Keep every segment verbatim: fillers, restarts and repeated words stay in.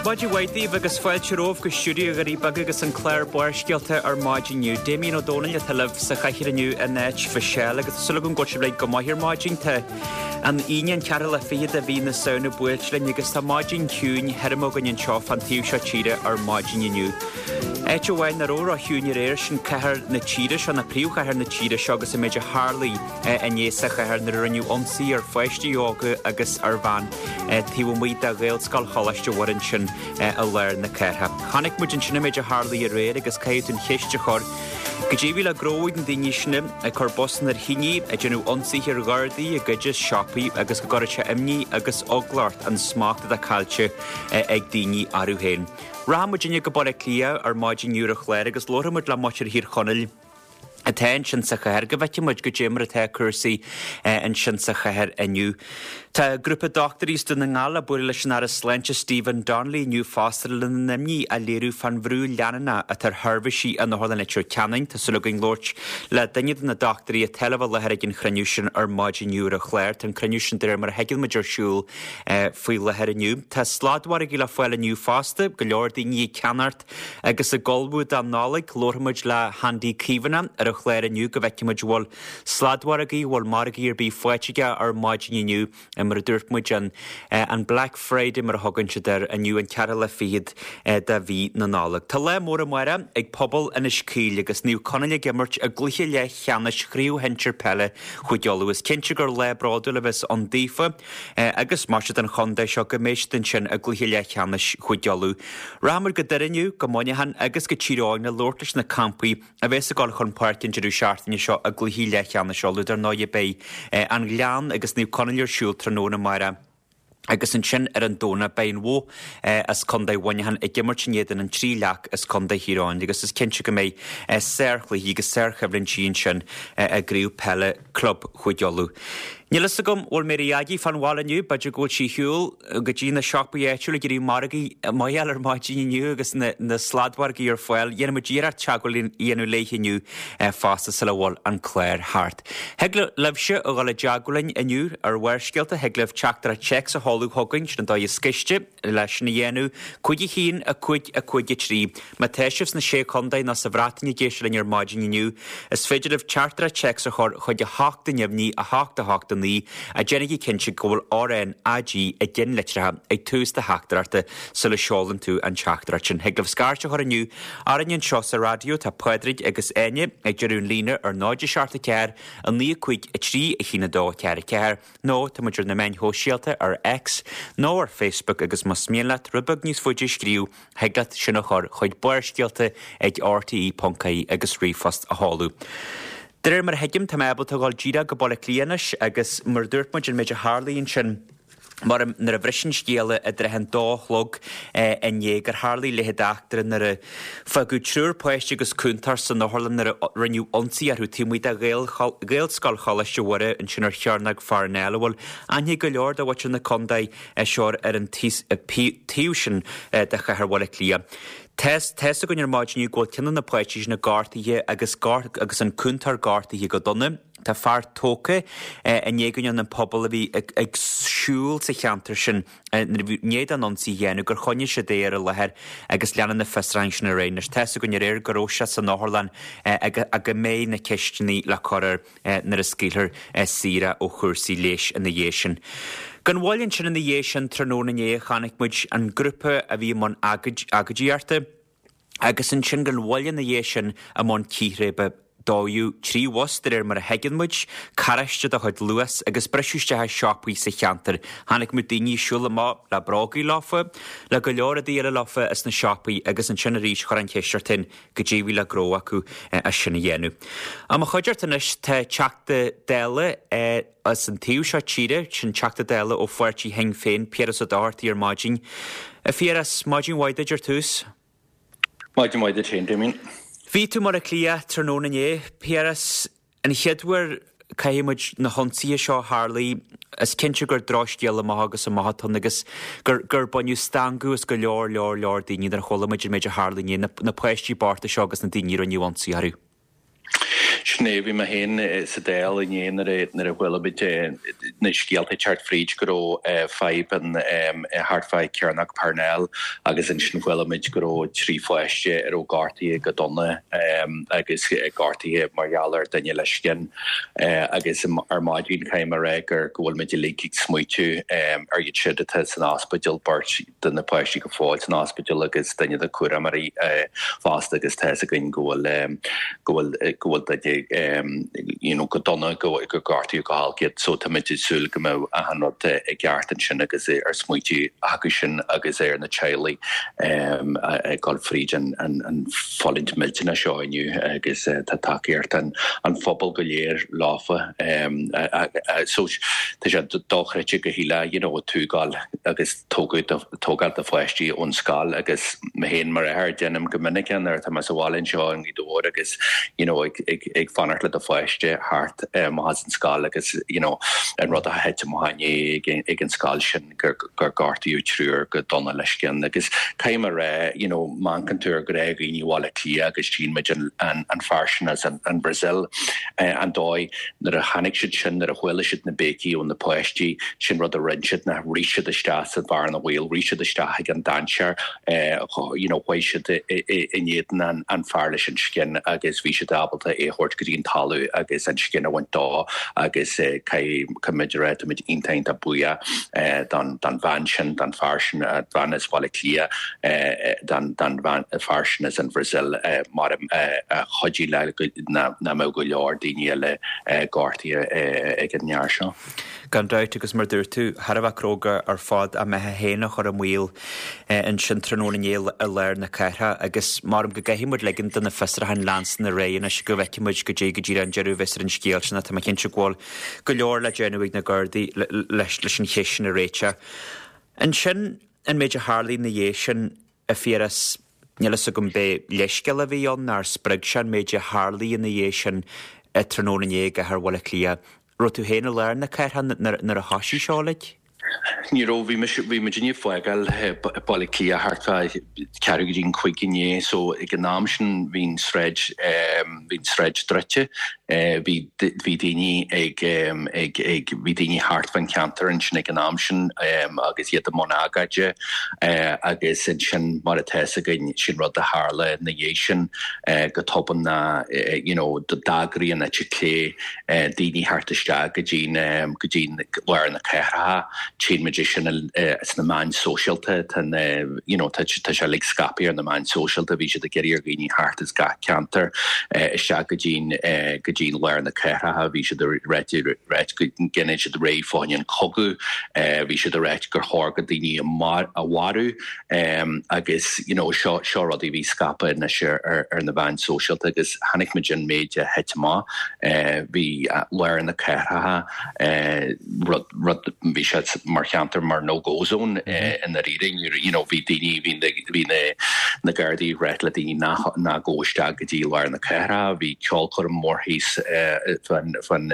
Maidin mhaith daoibh agus fáilte romhaibh go stiúideo Dhoirí Beaga agus an clár Barrscéalta ar maidin inniu. Damien Ó Dónaill atá libh sa chathaoir inniu in áit Mhichelle agus tá súil agam go bhfuil sibh go maith ar maidin. Tá an Aoine an ceathrú lá fichead de mhí na Samhna buailte linn agus tá maidin chiúin thirim againn anseo fan taobh seo tíre ar maidin inniu. Áit amháin nach raibh ró-chiúin aréir sin cathair na tíre seo na príomhchathair na tíre seo agus an méid a tharlaigh inné sa chathair nuair a rinneadh ionsaí ar pháistí óga agus ar bhean taobh amuigh de Ghaelscoil Choláiste Mhuire ansin i lár na cathrach. Chonaic muid ansin an méid a tharlaigh aréir agus caithfidh tú an cheist a chur. Goidé a bhí le gnóthú ag na daoine sin ag cur bosanna ar thine, ag déanamh ionsaithe ar ghardaí, ag goid as siopaí agus go gcuirfeadh sé imní agus eagla ort an smacht atá caillte ag daoine orthu féin. Rachaidh muidinne go Baile Átha Cliath ar maidin inniu ar an chlár agus labharfaidh muid le muintir Thír Chonaill atá ansin sa chathair, go bhfeicfidh muid goidé mar atá cúrsaí ansin sa chathair inniu. Tá grúpa dochtúirí as Dún na nGall ag bualadh leis an Aire Sláinte Stephen Donnelly inniu fosta lena n-imní a léiriú fán bhrú leanúnach atá ar sheirbhísí in Otharlann Leitir Ceanainn. Tá súil againn labhairt le duine de na dochtúirí atá le bheith i láthair ag an chruinniú sin ar maidin inniu ar an chlár. Tá an cruinniú sin de réir mar a thuigeann muid ar siúl faoi láthair inniu. Tá sladmhargaí le fáil inniu fosta, go leor daoine ag ceannacht agus ag ullmhú don Nollaig. Labharfaidh muid le hAndy Caomhánach ar an chlár inniu go bhfeicfidh muid bhfuil sladmhargaí, bhfuil margaí ar bith faighte aige ar maidin inniu mar a dúirt muid an an Black Friday mar a thugann siad air inniu an ceathrú lá fichead de mhí na Nollag. Tá lá mór amárach ag pobal Inis Caoil agus Naomh Conaill ag imirt i gcluiche leathcheannais Chraobh Shinsir Peile Chúige Uladh. Is cinnte gur lá bródúil a bheas ann daofa agus mar sin don chontae seo go mbeidh siad ansin i gcluiche leathcheannais Chúige Uladh. Rachaidh muid go Doire inniu, go Muineachán agus go Tír Eoghain le labhairt leis na campaí a bheas ag dul chun páirce an deireadh seachtaine seo i gcluichí leathcheannais Uladh. Dar ndóigh beidh an Gleann agus Naomh Conaill ar siúl tráthnóna amárach. Agus ansin ar an Domhnach beidh an Bhoth as Contae Mhuineacháin ag imirt in éadan an Trí Leac as Contae Thír Eoghain agus is cinnte go mbeidh sárchluichí agus sárchoimhlintí ansin i gcraobh peile club Chúige Uladh. Níl fhios agam bhfuil Mary Aggie fán bhaile inniu, b'fhéidir go bhfuil sí ar shiúl go dtí na siopaí áitiúla ag iarraidh margaí maith a fháil ar maidin inniu agus na, na sladmhargaí ar fáil. Dhéanfaidh muid iarracht teagmháil a dhéanamh léi inniu fosta sula bhfuil an clár thart. Thig libhse a dhul i dteagmháil linn inniu ar Bharrscéalta, thig libh teachtaireacht téacs a sheoladh chugainn, sin an dóigh is gaiste leis sin a dhéanamh, cúig a haon, a cúig, a cúig a trí. Má tá sibh sna Sé Chontae nó sa Bhreatain ag éisteacht linn ar maidin inniu, is féidir libh teachtaireacht téacs a chur chuig a hocht a neamhní, a hocht a hocht a naoi, ach déanaigí cinnte go bhfuil R N A G i gceannlitreacha ag tús do theachtaireachta sula seolann tú an teachtaireacht sin. Thig libh scairt a chur inniu orainn anseo sa raidió, tá Pádraig agus Áine ag deireadh an líne ar náid a seacht a ceathair, a naoi a cúig a trí a haon a dó a ceathair a ceathair, nó tá muid ar na meáin shóisialta ar X nó ar Facebook agus más mian leat rud beag níos faide a scríobh, thig leat sin a chur chuig Barrscéalta ag R T E ponc I E agus ríomhphost a sheoladh. De réir mar a thuigim, tá mé ábalta a dhul díreach go Baile Átha Cliath anois agus mar a dúirt muid an méid a tharlaigh ansin mar nuair a bhris an scéala i dtrátha an dó a chlog inné gur tharlaigh leithéid d'eachtra nuair a fágadh triúr páiste agus cúntóir san otharlann nuair a rinneadh ionsaí orthu taobh amuigh de Ghaelscoil Choláiste Mhuire ansin ar Chearnóg Pharnell, a bhfuil aithne ag go leor de mhuintir na contae seo ar an taobh sin de chathair Bhaile Átha Cliath. Tá fhios againn ar maidin inniu go bhfuil ceann de na páistí sin gortaithe agus agus an cúntóir gortaithe go dona. Tá fear tógtha i ndiaidh go ndearna an pobal a bhí ag siúl sa cheantar sin i ndiaidh don ionsaí a dhéanamh gur choinnigh siad é ar an láthair agus leanann na fiosrúcháin sin ar aghaidh. Anois tá fhios againn aréir go raibh sé san otharlann agus go mbeidh na ceisteanna le cur air nuair a scaoilfear saor é ó chúrsaí leighis ina dhiaidh sin. Gan mhoill ansin ina dhiaidh sin tráthnóna inné chonaic muid an grúpa a bhí i mbun agóidíochta agus ansin gan mhoill ina dhiaidh sin i mbun círéibe. Dódh trí bhus de réir mar a thuigeann muid, carráiste de chuid Luas agus briseadh isteach i siopaí sa cheantar. Chonaic muid daoine ag siúl amach le brógaí leofa, le go leor rudaí eile leofa as na siopaí agus ansin arís chuir an cheist ort féin goidé a bhí le gnó acu as sin a dhéanamh. I mo chuideachta anois tá Teachta Dála as an taobh seo tíre, sin Teachta Dála ó pháirtí Shinn Féin, Piaras Ó Dochartaigh ar maidin. A Phiarais, maidin mhaith duit ar tús. Maidin mhaith duit féin, Damien. Bhí tú i mBaile Átha Cliath tráthnóna inné, Piaras, an chéad uair caithfidh muid na hionsaithe seo a tharlaigh, is cinnte gur drochscéal amach agus amach atá ann agus gur gur baineadh stangadh as go leor leor leor daoine nuair a chuala muid an méid a tharlaigh inné, na, na páistí bochta seo agus na daoine a rinneadh ionsaí orthu. Sin é, bhí mé féin sa Dáil inné nuair a nuair a chuala muid na scéalta ag teacht fríd go raibh fadhb an thart fá Cearnóg Parnell agus ansin chuala muid go raibh trí pháiste a raibh gortaithe go dona agus gortaithe mar gheall ar duine le scian agus ar maidin caithfidh mé a rá gur go bhfuil muid uilig ag smaoitiú ar iad siúd atá san ospidéal, beirt de na páistí go fóill san ospidéal agus duine de chúramóirí fosta agus tá fhios againn go bhfuil go bhfuil go bhfuil duine you know go dona go gur gortaíodh go holc iad so táimid ag súil go mbeidh achan rud i gceart ansin agus ar smaoitiú acu sin agus ar na teaghlaigh ag dul fríd an an an fulaingt millteanach seo inniu agus tá tacaíocht an an phobail go léir leofa so tá sé dochreidte go huile you know tógáil agus tógadh tógáil do pháistí ón scoil agus mé féin mar athair déanaim go minic é nuair atá mé sa bhaile anseo i nGaoth Dobhair agus you know ag ag ag fanacht le do pháiste thart amach as an scoil agus you know an rud a thit amach inné ag ag an scoil sin gur gur gortaíodh triúr go dona le scian agus caithfidh mé a rá you know má amharcann tú ar ghnáthdhaoine Bhaile Átha Cliath agus tchíonn muid an an an fear sin as an an Brazil an dóigh nuair a chonaic siad sin nuair a chuala siad na béicí ó na páistí sin rud a rinne siad ná rith siad isteach sa bhearna bhaoil rith siad isteach ag an dainséar you know chuaigh siad in éadan an an fear leis an scian agus bhí siad ábalta é a thabhairt go dtí an talamh agus an scian a bhaint dó agus caithfidh muid a rá táimid iontach iontach buíoch don don bhean sin don fear sin an bhean as Baile Átha Cliath don don bhean fear sin as an Brazil mar a chuidigh le nach mbeadh go leor daoine eile gortaithe ag an fhear seo. Gan dabht agus mar dúirt tú, thar a bheith cróga ar fad a mbeatha féin a chur i mbaol ansin tráthnóna inné i lár na cathrach agus maram go gcaithfidh muid ligean do na fiosrúcháin leanstan ar aghaidh anois go bhfeicfidh muid goidé go díreach an deireadh a bheas ar an scéal sin tá mé cinnte go bhfuil go leor le déanamh ag na Gardaí leis leis an cheist sin a réiteach. Ansin an méid a tharla ina dhiaidh sin a Phiarais níl fhios agam b'é leithscéal a bhí ann nár spreag sé an méid a tharla ina dhiaidh sin tráthnóna inné i gcathair Bhaile Átha Cliath. Raibh tú féin i lár na cathrach nuair a thoisigh seo uilig? Ní raibh, bhí mise, bhí muid ag fágáil Baile Átha Cliath thart fá ceathrú go dtí an cúig inné so ag an am sin bhí an sráid bhí an sráid druidte bhí bhí daoine ag ag ag bhí daoine thart fan cheantar ansin ag an am sin agus iad i mbun agóide agus ansin mar atá fhios againn sin rud a tharla ina dhiaidh sin go tobann ná you know d'eagraigh an eite chlé daoine thart isteach go dtí go dtí lár na cathrach tchíonn muid é sin sna meáin sóisialta tá you know tá tá sé like scaipthe ar na meáin sóisialta bhí siad ag iarraidh ar dhaoine thart as gach ceantar isteach go dtí go dtí lár na cathrach bhí siad ag ráit ráit go ndéanann siad réidh fá choinne an cogadh bhí siad ag ráit gur chóir go daoine a mharú agus you know seo seo rudaí bhí scaipthe anois ar ar ar na meáin sóisialta agus chonaic muid an méid a thit amach bhí lár na cathrach rud rud bhí sé mar cheantar mar no go zone i ndáiríre you know bhí daoine bhí na bhí na na Gardaí ag ráit le daoine nach ná gabh isteach go dtí lár na cathrach bhí ceolchoirm mór thíos fan fan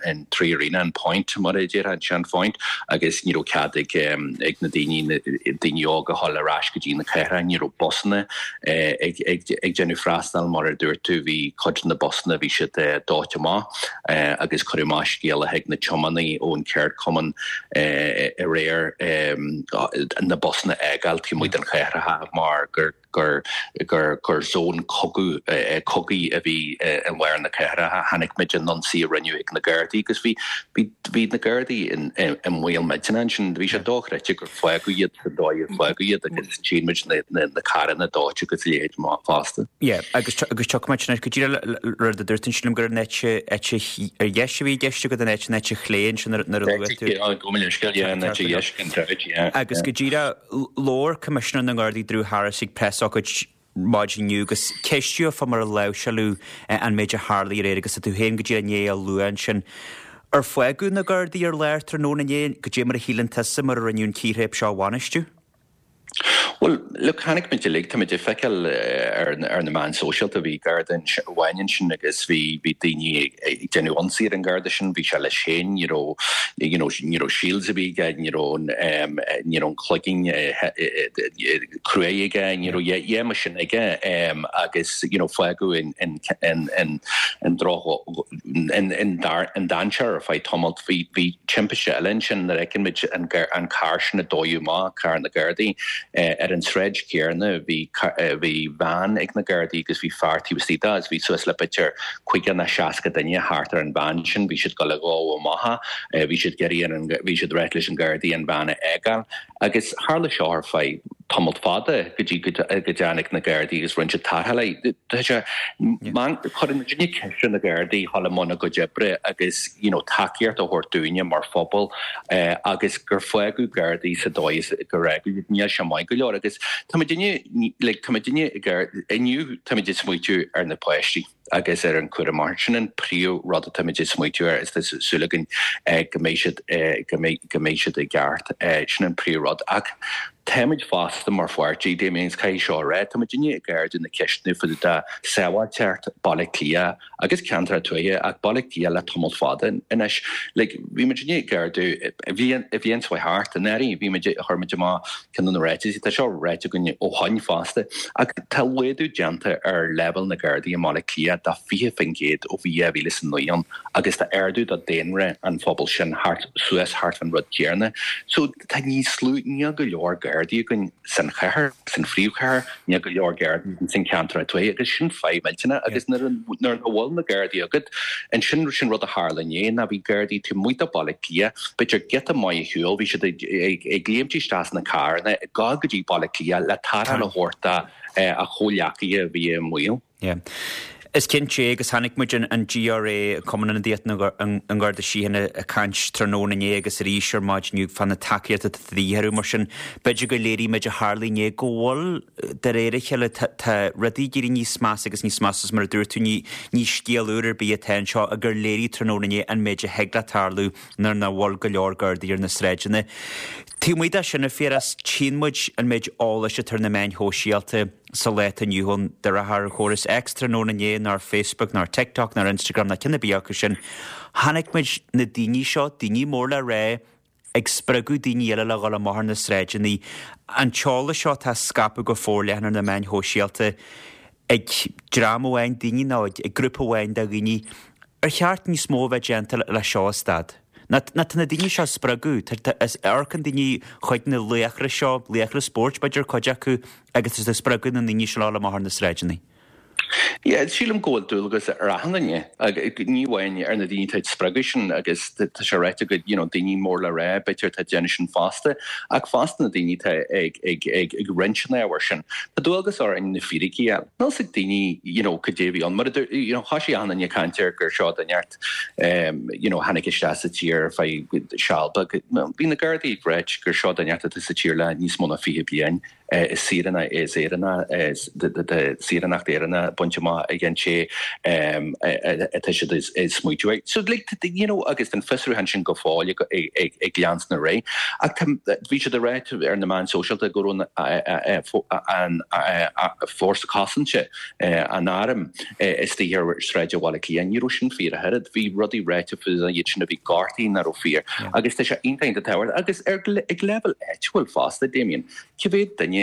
an Three Arena an Point mar a deir an Sean Point agus ní raibh cead ag ag na daoine daoine óga a dhul ar ais go dtí na cathrach ní raibh busanna ag ag ag déanamh freastal mar a dúirt tú bhí cuid de na busanna bhí siad dóite amach agus cuireadh amach scéala chuig na tiománaí ón ceardchumann aréir na busanna a fhágáil taobh amuigh den chathair mar gur gur gur gur zón cogadh cogaidh a bhí i lár na cathrach. Chonaic muid an ionsaí a rinneadh ag na Gardaí agus bhí bhí bhí na Gardaí in i mbaol millteanach ansin. Bhí sé dochreidte gur fágadh iad sa dóigh ar fágadh iad agus tchíonn muid na na na carranna dóite agus a leithéid fosta. Yeah, agus agus tiocfaidh muid anois go díreach rud a dúirt ansin liom gur an eite eite ar dheis a bhí i gceist agat an eite an eite chlé ansin nuair a luaigh tú. Go minic scéal, yeah, an eite dheis gan dabht, yeah. Agus go díreach labhair Coimisinéir na nGardaí Drew Harris ag preasócáid maidin inniu agus ceistíodh fá mar a láimhseáladh an méid a tharla aréir agus tá tú féin go díreach i ndiaidh a lua ansin. Ar fágadh na Gardaí ar lár tráthnóna inné goidé mar a shíleann tusa mar a rinneadh an chíréib seo a bhainistiú? Well, look, chonaic muid uilig, tá muid ag feiceáil ar ar na meáin sóisialta bhí garda amháin ansin agus bhí bhí daoine ag déanamh ionsaí ar an garda sin, bhí sé leis féin, ní raibh you know, ní raibh shields a bhí aige, ní raibh um, ní raibh an cloigeann cruaidh aige, ní raibh dhe mar sin aige um, agus you know, fágadh in in in in in droch in in dar in dainséar ar feadh tamaill bhí bhí timpiste eile ansin nuair a fheiceann muid an an carr sin a dódh amach carr na Gardaí eh, ar an sráid chéanna bhí bhí veain ag na Gardaí agus bhí fear taobh istigh de agus bhí suas le b'fhéidir caoga nó seasca duine thart ar an veain sin bhí siad go le dhó amach bhí siad ag iarraidh an bhí siad ag ráit leis an Gardaí an veain a fhágáil agus tharla seo ar feadh tamall fada go dtí go dtáinig na Gardaí agus rinne siad tarrtháil Tá sé chuireann duine ceist na Gardaí dul i mbun a gcuid oibre agus you know, tacaíocht a thabhairt dúinne mar phobal eh, agus gur fágadh Gardaí sa dóigh gur fágadh níl sé maith go leor agus tá duine like, tá duine inniu tá ag smaoitiú ar na páistí agus ar an cúram mar sin an príomh rud atá ag smaoitiú ar is súil againn eh, go mbeidh siad eh, go mbeidh siad i gceart eh, sin an príomh rud ach táimid fosta mar pháirtí Damien caithfidh seo rá tá muidinne ag ardú na ceisteanna faoi de sábháilteacht Baile Cliath agus ceantar tuaithe ach Baile Cliath le tamall fada anois like, bhí muidinne ag ardú bhí bhí an thart an éirí bhí muid chuir muid amach ceann na ráitis tá seo ráite againn ó shin fosta ach tá laghdú déanta ar leibhéal na Gardaí i mBaile Cliath de fiche faoin gcéad ó bhí dhá mhíle is a naoi ann agus tá ardú do daonra an phobal sin thart suas thart an rud céanna so tá níos lú níl go leor Gardaí againn san chathair san phríomhchathair níl go leor Gardaí san ceantar tuaithe agus sin fadhb millteanach agus nuair a bhfuil na Gardaí agat an sin sin rud a tharla inné ná bhí Gardaí taobh amuigh de Baile Cliath b'fhéidir giota maith ar shiúl bhí siad ag léimt isteach sna carranna ag gabháil go dtí Baile Cliath le tarrtháil a thabhairt a chomhghleacaithe a bhí i mbaol. Yeah. Is cinnte agus chonaic muid an, an GRA Cumann Ionadaíochta an Gharda Síochána ag caint tráthnóna inné agus arís ar maidin inniu fá na tacaíochta atá de dhíth orthu mar sin b'fhéidir go léirímid a tharla inné go bhfuil de réir a chéile tá rudaí ag éirí níos measa agus níos measa mar a dúirt tú ní ní scéal úr ar bith atá anseo a gur léirigh tráthnóna inné an méid a thig le tarlú nuair nach bhfuil go leor Gardaí ar na sráideanna. Taobh amuigh de sin a Phiarais tchíonn muid an méid eolais atá ar na meáin shóisialta sa lá atá inniu ann de réir chóras X tráthnóna inné ná Facebook ná TikTok ná Instagram ná ceann ar bith acu sin. Chonaic muid na daoine seo, daoine mór le rá, ag spreagadh daoine eile le dhul amach ar na sráideanna. An t-eolas seo tá scaipthe go forleathan ar na meáin shóisialta ag dream amháin daoine nó ag grúpa amháin de dhaoine. Ar cheart níos mó a bheith déanta le seo a stad. Na tá na daoine seo spreagadh, amharcann daoine chuig na laochra seo, laochra spóirt b'fhéidir cuid acu agus is ag spreagadh na ndaoine seo le amach ar na sráideanna. Yeah, sílim go bhfuil dualgas ar achan duine ní amháin ar na daoine atá ag spreagadh sin agus tá sé ráite go you know, daoine mór le rá b'fhéidir tá déanamh sin fosta ach fosta na daoine tá ag ag ag ag roinnt an ábhair sin. Tá dualgas orainn na fíricí a Níl ag daoine you know, cad é bhí ann mar you know, cha sé an duine caintear gur seo den neart um, you know, tháinig isteach sa tír feadh seal beag. Bhí na Gardaí ag ráit gur seo den neart atá sa tír le níos mó ná fiche bliain. is saoránach is Éireannach saoránacht Éireannach bainte amach ag an té atá siad ag smaoitiú. So like, you know, agus den fiosrúchán sin go fóill ag ag leanstan ar aghaidh. Ach bhí siad ag ráit ar na meáin sóisialta go raibh an fórsa cosanta an arm istigh ar sráid Bhaile Cliath. Ní raibh sin fíor a thuilleadh, bhí rudaí ráite faoi iad sin a bhí gortaithe nach raibh fíor. Agus tá sé iontach tábhachtach agus ar ag leibhéal áitiúil fosta Damien. Cá mhéad duine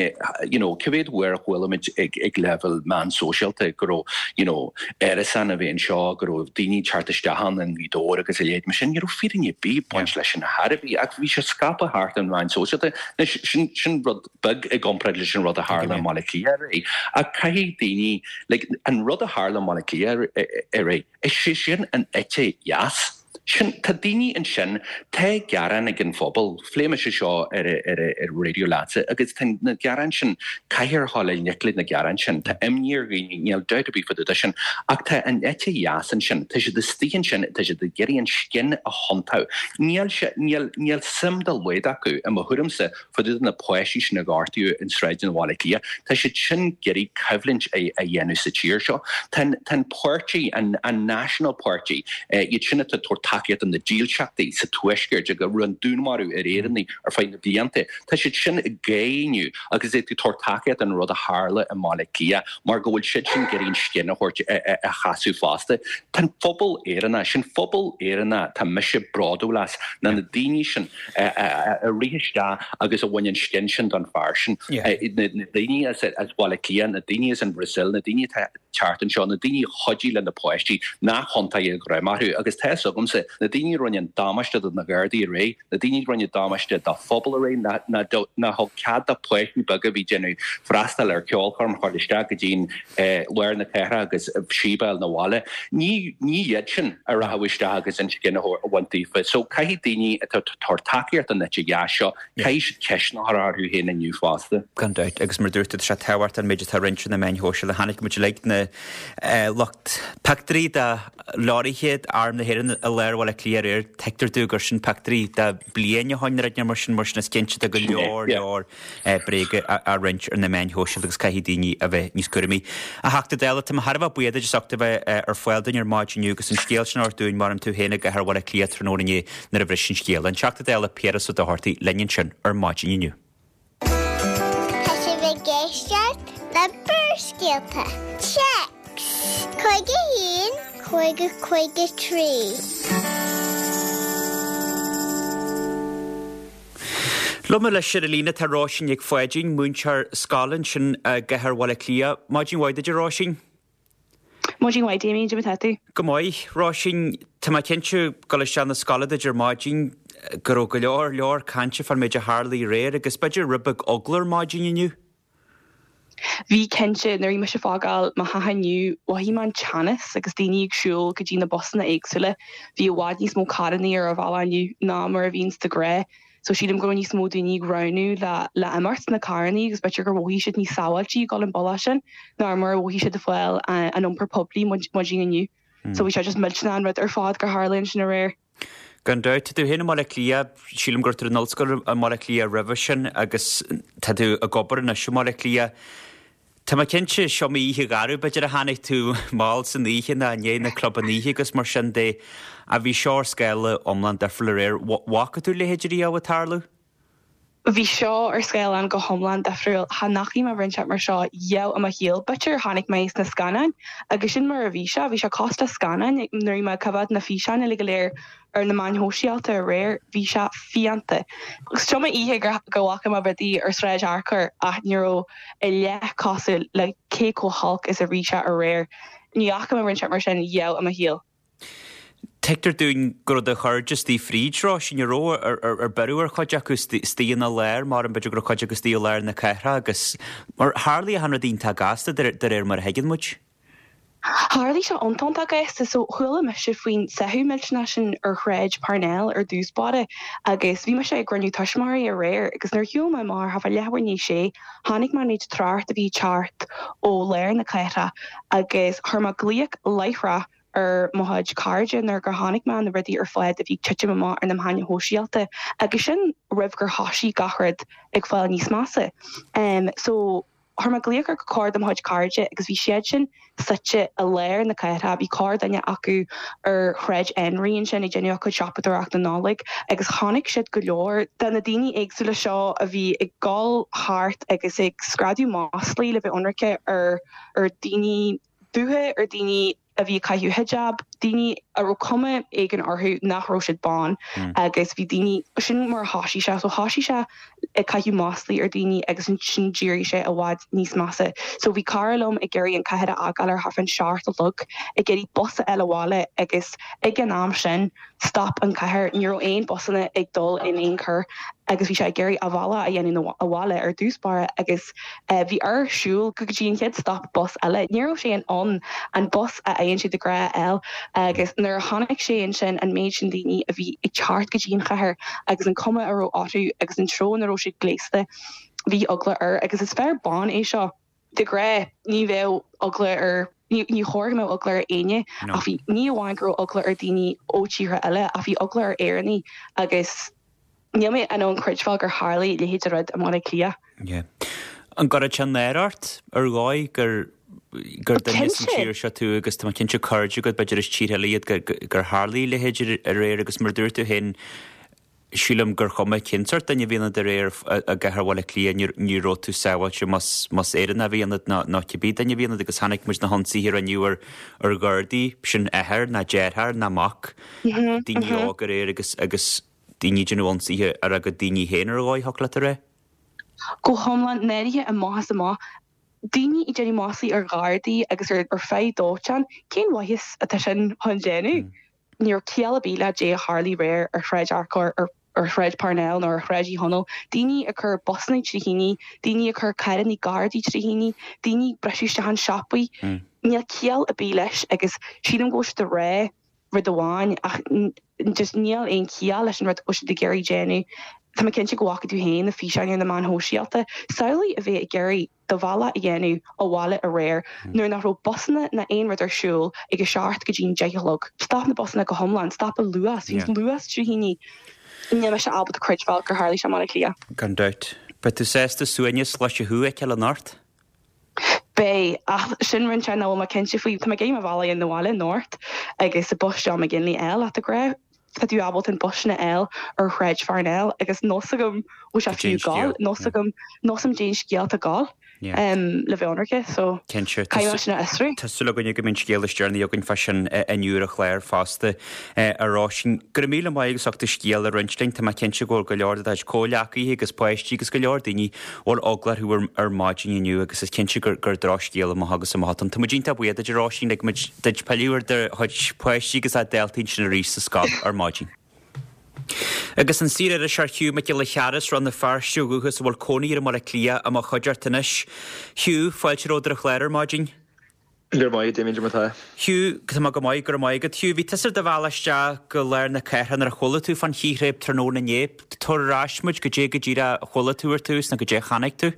you know, cá mhéad uair a chuala muid ag ag leibhéal meán sóisialta go raibh you know, árasán a bhí anseo go raibh daoine teacht isteach ann an Ghaoth agus a leithéid mar sin ní raibh fírinne ar bith ag baint leis sin ar bith ach bhí sé scaipthe thart an meán sóisialta sin sin rud beag i gcomparáid leis an rud a tharla i mBaile Cliath aréir. Ach caithfidh daoine like, an rud a tharla i mBaile Cliath aréir is sé sin an eite dheas. Sin tá daoine ansin tá gearán ag an phobal, phléigh mise seo ar ar ar raidió leatsa agus tá na gearáin sin caithfear dul i ngleic le na gearáin sin Tá imní ar dhaoine níl dabht ar bith faoi sin ach tá an eite dheas ansin tá siad istigh ansin tá siad ag iarraidh an scian a thiontú. Níl sé níl níl suim dá laghad acu i mo thuairimse faoi na páistí sin a gortaíodh in sráideanna Bhaile Cliath, Tá siad sin ag iarraidh coimhlint a a dhéanamh sa tír seo. Tá an páirtí an an National Party iad sin atá tabhairt tacaíocht do na dílseachtaí sa tuaisceart a rinne dúnmharú ar Éireannaigh ar feadh na blianta. Tá siad sin ag géilleadh inniu agus iad ag tabhairt tacaíocht don rud a tharla i mBaile Átha Cliath mar go bhfuil siad sin ag iarraidh an scian a thabhairt a chasadh fosta. Tá an phobal Éireannach, sin phobal Éireannach tá mise bródúil as, ná na daoine sin a rith isteach agus a bhain an scian sin don fear sin. Na daoine as Baile Átha Cliath, na daoine as an Bhrasaíl, na daoine atá teacht anseo, na daoine a chuidigh le na páistí nach hiontaigh greim orthu agus tá a fhios agamsa, na daoine a rinne an damáiste do na Gardaí aréir, na daoine a rinne damáiste dá phobal aréir, nár thug cead do pháistí beaga a bhí ag déanamh freastal ar cheolchoirm chur isteach go dtí'n lár na cathrach agus síob a fháil 'na bhaile. Ní ní iad sin a rachadh isteach agus an scian a bhaint daofa. So caithfidh daoine atá ag tabhairt tacaíocht don eite dheas seo, caithfidh siad ceisteanna a chur orthu féin inniu fosta. Gan dabht, agus mar dúirt tú, tá sé tábhachtach an méid atá roinnte ar na meáin shóisialta. Chonaic muid uilig na lucht pictiúirí de leoraithe Arm na hÉireann i lár Bhaile Átha Cliath aréir. Tuigtear dúinn gur sin pictiúirí de bliain ó shoin nó rud mar sin, mar sin is cinnte tá go leor leor bréaga á roinnt ar na meáin shóisialta agus caithfidh daoine a bheith níos cúramaí. A Theachta Dála, tá mé thar a bheith buíoch duit as ucht a bheith ar fáil dúinn ar maidin inniu agus an scéal sin a thabhairt dúinn mar tú féin i gcathair Bhaile Átha Cliath tráthnóna inné nuair a bhris an scéal. An Teachta Dála Piaras Ó Dochartaigh linn ansin ar maidin inniu. Tá sibh ag éisteacht le Barrscéalta. Téacs cúig a haon cúig a cúig a trí. Liom anois ar an líne tá Róisín Nic Pháidín, múinteoir scoile ansin i gcathair Bhaile Átha Cliath. Maidin mhaith duit, a Róisín. Maidin mhaith, Damien, cad é mar atá tú? Go maith, Róisín. Tá mé cinnte ag dul isteach na scoile duit ar maidin go raibh go leor leor cainte fán méid a tharlaigh aréir agus b'fhéidir rud beag eagla ar maidin inniu. Bhí cinnte, nuair a bhí mise ag fágáil mo theach inniu, mhothaigh mé an teannas agus daoine ag siúl go dtí na busanna éagsúla. Bhí i bhfad níos mó carrannaí ar an bhealach inniu ná mar a bhíonns de ghnáth. So sílim go raibh níos mó daoine ag roghnú le le imeacht sna carrannaí agus b'fhéidir gur mhothaigh siad níos sábháiltí ag dul an bealach sin ná mar a mhothaigh siad ag fáil an iompar poiblí maidin inniu. So bhí sé just millteanach an rud ar fad gur tharla ansin aréir. Gan dabht, tá tú féin i mBaile Átha Cliath, sílim go raibh tú in ollscoil i mBaile Átha Cliath roimhe sin agus tá tú ag obair anois i mBaile Átha Cliath. Tá mé cinnte, is iomaí oíche gharbh b'fhéidir a tháinig tú mall san oíche nó i ndiaidh na clubanna oíche agus mar sin de, ach bhí seo ar scála iomlán difriúil aréir. Bhfaca tú a leithéid riamh ag tarlú? Bhí seo ar scáileán go hiomlán difriúil. Cha ndeachaigh mé rud inteacht mar seo riamh i mo shaol. B'fhéidir chonaic mé sna scannáin agus sin mar a bhí sé. Bhí sé cosúil le scannáin nuair a bhí mé ag coimhéad na físeáin uilig go léir ar na meáin shóisialta aréir. Bhí sé fiánta. Is iomaí oíche go bhfaca mé rudaí ar Sráid Fhearchair ach ní raibh a leath cosúil le cé chomh holc is a bhí sé aréir. Ní fhaca mé rud inteacht mar sin riamh i mo shaol. Tuigtear dúinn go raibh do chairde istigh fríd, Róisín, an raibh, ar beireadh ar chuid acu istigh ina lár, mar b'fhéidir go raibh cuid acu istigh i lár na cathrach agus mar tharlaigh achan rud iontach gasta de réir mar a thuigeann muid. Tharlaigh sé iontach iontach gasta. So chuala mise faoin sáthadh millteanach sin ar Shráid Parnell ar dtús báire agus bhí mise ag cruinniú tuismitheoirí aréir agus nuair a shiúil mé amach ar thart fá leathuair i ndiaidh a sé chonaic mé an méid trácht a bhí ag teacht ó lár na cathrach agus chuir mé glaoch láithreach ar mo chuid cairde nuair gur chonaic mé na rudaí ar fad a bhí ag titim amach ar na meáin shóisialta agus sin roimh gur thoisigh gach rud ag fáil níos measa. So chuir mé glaoch ar corr de mo chuid cairde agus bhí siad sin suite i lár na cathrach, bhí corrdhuine acu ar Shráid Enry ansin ag déanamh a gcuid siopadóireachta Nollag agus chonaic siad go leor de na daoine éagsúla seo a bhí ag dul thart agus ag screadadh maslaí le bheith ionraice ar ar daoine dubha, ar daoine a bhí ag caitheamh hijab, daoine a raibh cuma éigin orthu nach raibh siad bán agus bhí daoine, sin mar a thoisigh sé, so thoisigh sé ag caitheamh maslaí ar daoine agus ansin d'éirigh sé i bhfad níos measa. So bhí cara liom ag iarraidh an cathair a fhágáil ar thart fán seacht a chlog, ag iarraidh bus a fháil abhaile agus ag an am sin stop an cathair, ní raibh aon busanna ag dul in aon chor agus bhí sé ag iarraidh a bhealach a dhéanamh abhaile ar dtús báire agus bhí air siúl go dtí an chéad stop bus eile. Ní raibh sé in ann an bus a fhaigheann sé de ghnáth a fháil agus nuair a chonaic sé ansin an méid sin daoine a bhí ag teacht go dtí an chathair agus an cuma a raibh orthu agus an treo ina raibh siad gléasta, bhí eagla air agus is fear bán é seo. De ghnáth ní bheadh eagla ar, ní chóir go mbeadh eagla ar éinne ach bhí, ní amháin go raibh eagla ar daoine ó tíortha eile ach bhí eagla ar Éireannaigh agus níl mé in ann creidbheáil gur tharla a leithéid de rud i mBaile Átha Cliath. Yeah. An gcuireann sé náire ort ar dhóigh gur gur duine as an tír seo tú agus tá mé cinnte cairde agat b'fhéidir as tíortha eile iad gur tharla a leithéid aréir agus mar a dúirt tú féin sílim gur chuma cén sórt duine a bhí ionat aréir i gcathair Bhaile Átha Cliath ní raibh tú sábháilte más más Éireannach a bhí ionat ná ná cibé duine a bhí ionat agus chonaic muid na hionsaithe a rinneadh ar ar Ghardaí sin athair ná deartháir ná mac daoine óga aréir agus agus daoine ag déanamh ionsaithe ar a gcuid daoine féin ar dhóigh thiocfadh leat a rá. Go hiomlán náirithe amach is amach. Daoine ag déanamh maslaí ar Ghardaí agus ar ar feadh dóiteáin, cén mhaitheas atá sin chun déanamh? Ní raibh ciall ar bith le dé a tharlaigh aréir ar Shráid Fhearchair, ar ar Shráid Parnell nó ar Shráid Uí Chonaill, daoine ag cur busanna trí thine, daoine ag cur carranna Gardaí trí thine, daoine ag briseadh isteach in siopaí. Níl ciall ar bith leis agus sílim go bhfuil siad ag rá rud amháin ach just níl aon chiall leis an rud go bhfuil siad ag iarraidh déanamh. Tá mé cinnte go bhfaca tú féin na físeáin ar na meáin shóisialta. Samhlaigh a bheith ag iarraidh do bhealach a dhéanamh abhaile aréir nuair nach raibh busanna ná aon rud ar siúl ag a seacht go dtí an deich a chlog. Stop na busanna go hiomlán, stop an Luas, bhí an Luas trí thine. Níl mise ábalta creidbheáil gur tharlaigh sé i mBaile Átha Cliath. Gan dabht. Beidh tú sásta suaimhneas cloiste thú a fheiceáil anocht? Beidh, ach sin rud nach bhfuil mé cinnte faoi. Tá mé ag iarraidh mo bhealach a dhéanamh abhaile anocht agus an bus John McGinley a fháil ach de ghnáth tá tú ábalta an bus sin a fháil ar Shráid Pharnell agus níl 's agam bhfuil sé fiú ag gabháil, níl 's agam, níl 's agam cén scéal atá ag gabháil le bheith ionraice so Cinnte. caithfidh mé sin a fhiosrú. Tá súil againne go mbeidh an scéal is deireanaí againn fá sin inniu ar an chlár fosta, a Róisín. Go raibh míle maith agat as ucht do scéal a roinnt linn. Tá mé cinnte go bhfuil go leor de do chuid comhghleacaithe agus páistí agus go leor daoine a bhfuil eagla orthu ar maidin inniu agus is cinnte gur gur drochscéal amach agus amach atá ann. Tá muid iontach buíoch duit a Róisín, lig muid duit pilleadh ar do chuid páistí agus daltaí ansin arís sa scoil ar maidin. Agus an saoririseoir Hugh Mac Giolla Chearra as Rann na Feirste ó dhúchas a bhfuil cónaí air i mBaile Átha Cliath i mo chuideachta anois. Hugh, fáilte romhat ar an chlár ar maidin. Go raibh maith agat, Damien, cad é mar atá? Hugh, Tá mé go maith, go raibh maith agat. Hugh, bhí tusa ar do bhealach isteach go lár na cathrach nuair a chuala tú fán chíréib tráthnóna inné. Tabhair ar ais muid, goidé go díreach a chuala tú ar tús nó goidé a chonaic tú?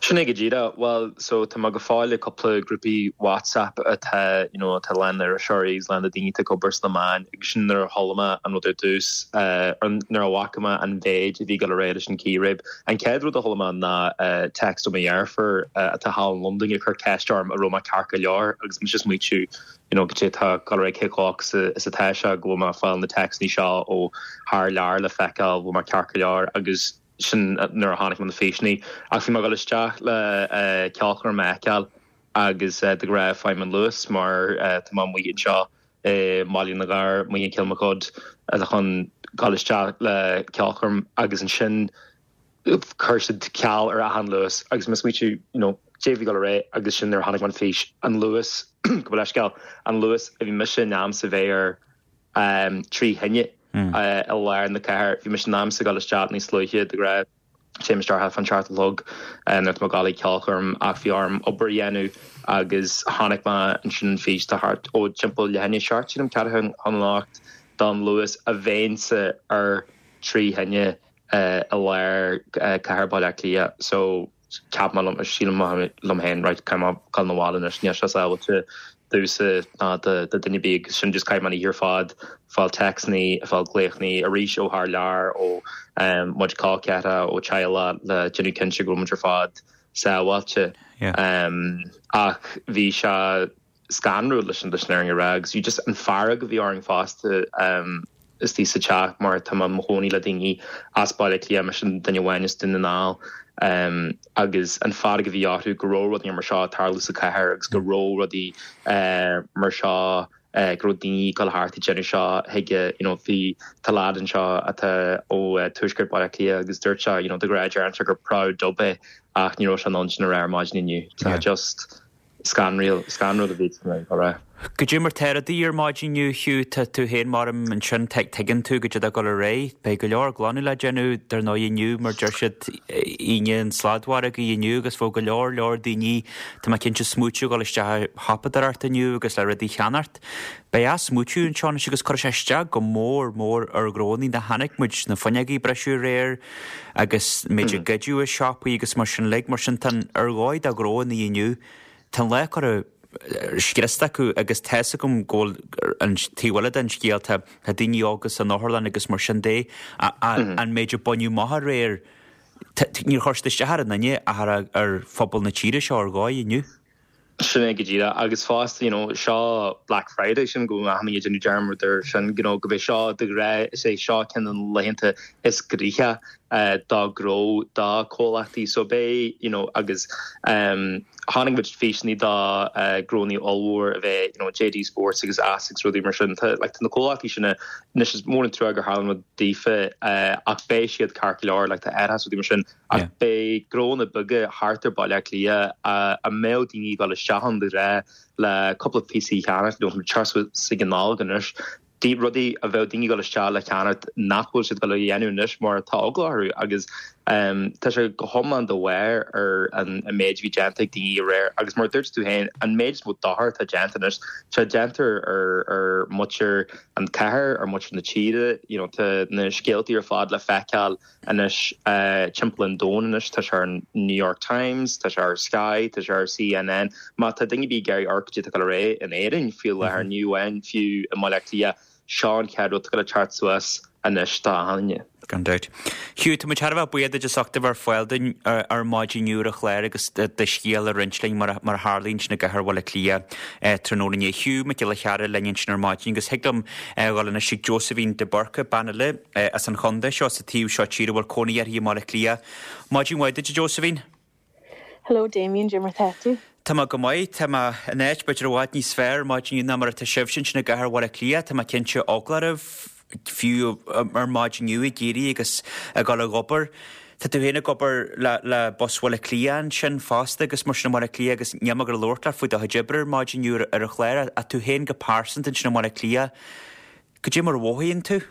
Sin é go díreach. Bhuel, so tá mé go fóill i cúpla grúpaí WhatsApp atá, you know, atá lán d'iriseoirí agus lán de daoine atá ag obair sna meáin agus sin nuair a chuala mé an rud ar dtús, nuair a bhfaca mé an mhéid a bhí ag dul ar aghaidh leis an círéib. An chéad rud a chuala mé ná text ó mo dheirfiúr atá thall in Londain ag cur ceist orm an raibh mé ceart go leor agus mise ag smaoitiú, you know, goidé atá ag dul ar aghaidh cé chomh olc is atá sé go bhfuil mé ag fáil na téacsanna seo ó thar lear le feiceáil bhfuil mé ceart go leor agus sin nuair a chonaic mé na físeanna. Ach bhí mé ag dul isteach le ceolchoirm a fheiceáil agus de ghnáth faighim an Luas mar tá mé amuigh anseo i mBaile na nGall, amuigh in Kilmacud chun dul isteach le ceolchoirm agus ansin chuir siad ceal ar achan Luas agus mé ag smaoitiú you know cad é a bhí ag dul ar aghaidh agus sin nuair a chonaic mé an fís, an Luas, gabh mo leithscéal, an Luas a bhí mise in ainm is a bheith air trí thine i lár na cathair. Bhí mise in ainm is a ghabháil isteach níos luaithe de ghnáth. Téim isteach thart fán seacht a chlog nuair atá mé ag gabháil ag ceolchoirm ach bhí orm obair a dhéanamh agus chonaic mé ansin an fís tá thart ó timpeall leath i ndiaidh a seacht sílim ceathrú chun a hocht don Luas a bheinnse ar trí thine i lár cathair Bhaile Átha Cliath so cheap mé liom, sílim liom féin, right, caithfidh mé dul 'na bhaile anois, níl sé sábháilte domhsa ná do duine ar bith agus sin just chaith mé an oíche ar fad ag fáil téacsanna, ag fáil glaochanna arís ó thar lear, ó mo chuid col ceathracha, ó teaghlach le déanamh cinnte go bhfuil muid ar fad sábháilte. Ach bhí sé scanrúil leis an leis an fhírinne a rá agus bhí just an fearg a bhí orainn fosta istigh sa teach mar tá mé i mo chónaí le daoine as Baile Átha Cliath, mise an duine amháin as Dún na nGall agus an fearg a bhí orthu go raibh rudaí mar seo ag tarlú sa chathair agus go raibh rudaí mar seo go raibh daoine ag dul thart ag déanamh seo chuige you know bhí tá leaid anseo atá ó tuaisceart Baile Átha Cliath agus dúirt sé you know de ghnáth deireann sé gur proud dub é ach ní raibh sé in ann sin a rá ar maidin inniu. Tá just scanrúil scanrúil a bhí á rá. Goidé mar tá rudaí ar maidin inniu, Hugh, tá tú féin mar ansin, tuigeann tú goidé atá ag dul ar aghaidh. Beidh go leor glanadh le déanamh dar ndóigh inniu mar deir siad Aoine an tsladmhargaidh inniu agus bheadh go leor leor daoine, tá mé cinnte, smaoitiú dhul isteach ag siopadóireacht inniu agus le rudaí a cheannacht. Beidh athsmaoitiú anseo anois agus cuirfidh sé isteach go mór mór ar ghnónnaí. Chonaic muid na fuinneogaí a briseadh aréir agus méid a goideadh i siopaí agus mar sin uilig. Mar sin tá ar dhóigh do ghnónnaí inniu. Tá an lá curtha scriosta acu agus tá's agam go bhfuil an taobh eile den scéal, tá daoine óga san otharlann agus mar sin de, an méid a baineadh amach aréir, níor chuir siad isteach ar an duine ach ar phobal na tíre seo ar dhóigh inniu. Sin é go díreach agus fosta you know, seo Black Friday sin go achan duine ag déanamh dearmad air sin you know, go b'é seo de ghnáth is é seo ceann de na laethanta is gnoithí uh, dá gnó dá comhlachtaí so b'é you know, agus um, tháinig muid físeanna dá uh, gnónna ollmhór a bheith you know, JD Sports agus Asics rudaí mar sin like, na comhlachtaí sin anois is mór an trua gur tharla rud daofa uh, ach beidh siad ceart go leor like, tá airheas rudaí mar sin ach beidh gnónna beaga thart ar Baile Átha Cliath a mbeadh daoine ag dul isteach ann de ghnáth le cúpla píosaí cheannacht nó sa gnáil anois. Dí rudaí a bheadh daoine ag dul isteach le ceannacht nach bhfuil siad ag dul a dhéanamh anois mar tá eagla orthu agus um, tá sé go hiomlán de bharr ar an, an méid bhí déanta ag daoine aréir agus mar dúirt tú féin an méid is mó dochar atá déanta anois tá déanta ar ar muintir an chathair ar muintir na tíre you know, tá na scéaltaí ar fad le feiceáil anois uh, timpeall an domhain anois tá sé ar an New York Times, tá sé ar Sky, tá sé ar CNN, má tá daoine ag iarraidh amharc cad atá ré in Éirinn fiú le ar New N fiú i mBaile Átha Cliath sean cead go le teacht suas anois tá haine. Gan dabht. Hugh, tá muid thar a bheith buíoch duit as ucht a bheith ar fáil dúinn ar maidin inniu ar an chlár agus do scéal a roinnt linn mar mar a tharla ansin i gcathair Bhaile Átha Cliath tráthnóna inné. Hugh Mac Giolla Chearra linn ansin ar maidin agus thig liom dhul anois ag Josephine de Burca bean eile as an chontae seo sa taobh seo tíre a bhfuil cónaí uirthi i mBaile Átha Cliath. Maidin mhaith duit, Josephine? Hello Damien, cad é mar tá tú? Tá mé go maith, tá mé in áit b'fhéidir i bhfad níos fearr maidin inniu ná mar atá sibhse ansin i gcathair Bhaile Átha Cliath, tá mé cinnte eagla oraibh fiú ar maidin inniu ag éirí agus ag dul ag obair. Tá tú féin ag obair le, le Bus Bhaile Átha Cliath ansin fosta agus mar sin i mBaile Átha Cliath agus níl mé ag labhairt leat faoi do chuid oibre ar maidin inniu ar an chlár, ach tú féin go pearsanta ansin i mBaile Átha Cliath. Cad é mar a mhothaíonn tú?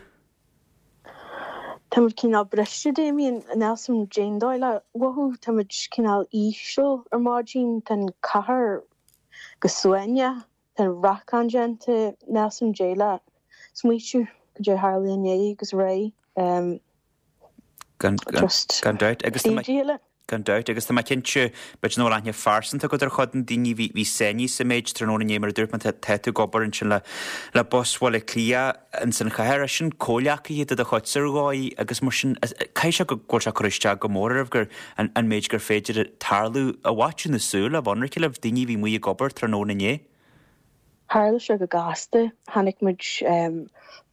Tá muid cineál briste Damien níl a fhios agam cén dóigh le mhothú, tá muid cineál íseal ar maidin, tá an cathair go suaimhneach, tá an racán déanta, níl a fhios agam cad é le smaoitiú cad é a tharla inné agus aréir. Um, Gan, gan, just gan dabht agus tá mé- díle. Gan dabht agus tá mé cinnte b'fhéidir nach bhfuil aithne phearsanta agat ar chuid na daoine bhí bhí sáinnithe sa méid tráthnóna inné mar a dúirt mé tá tá tú ag obair ansin le le Bus Bhaile Átha Cliath ins an chathair é sin comhghleacaithe de do chuid ar dhóigh agus mar sin caithfidh sé go bhfuil sé cur isteach go mór oraibh gur an, an méid gur féidir tarlú i bhfaiteadh na súl a bhonraice libh daoine bhí amuigh ag obair tráthnóna inné. Tharla sé go gasta, chonaic muid um,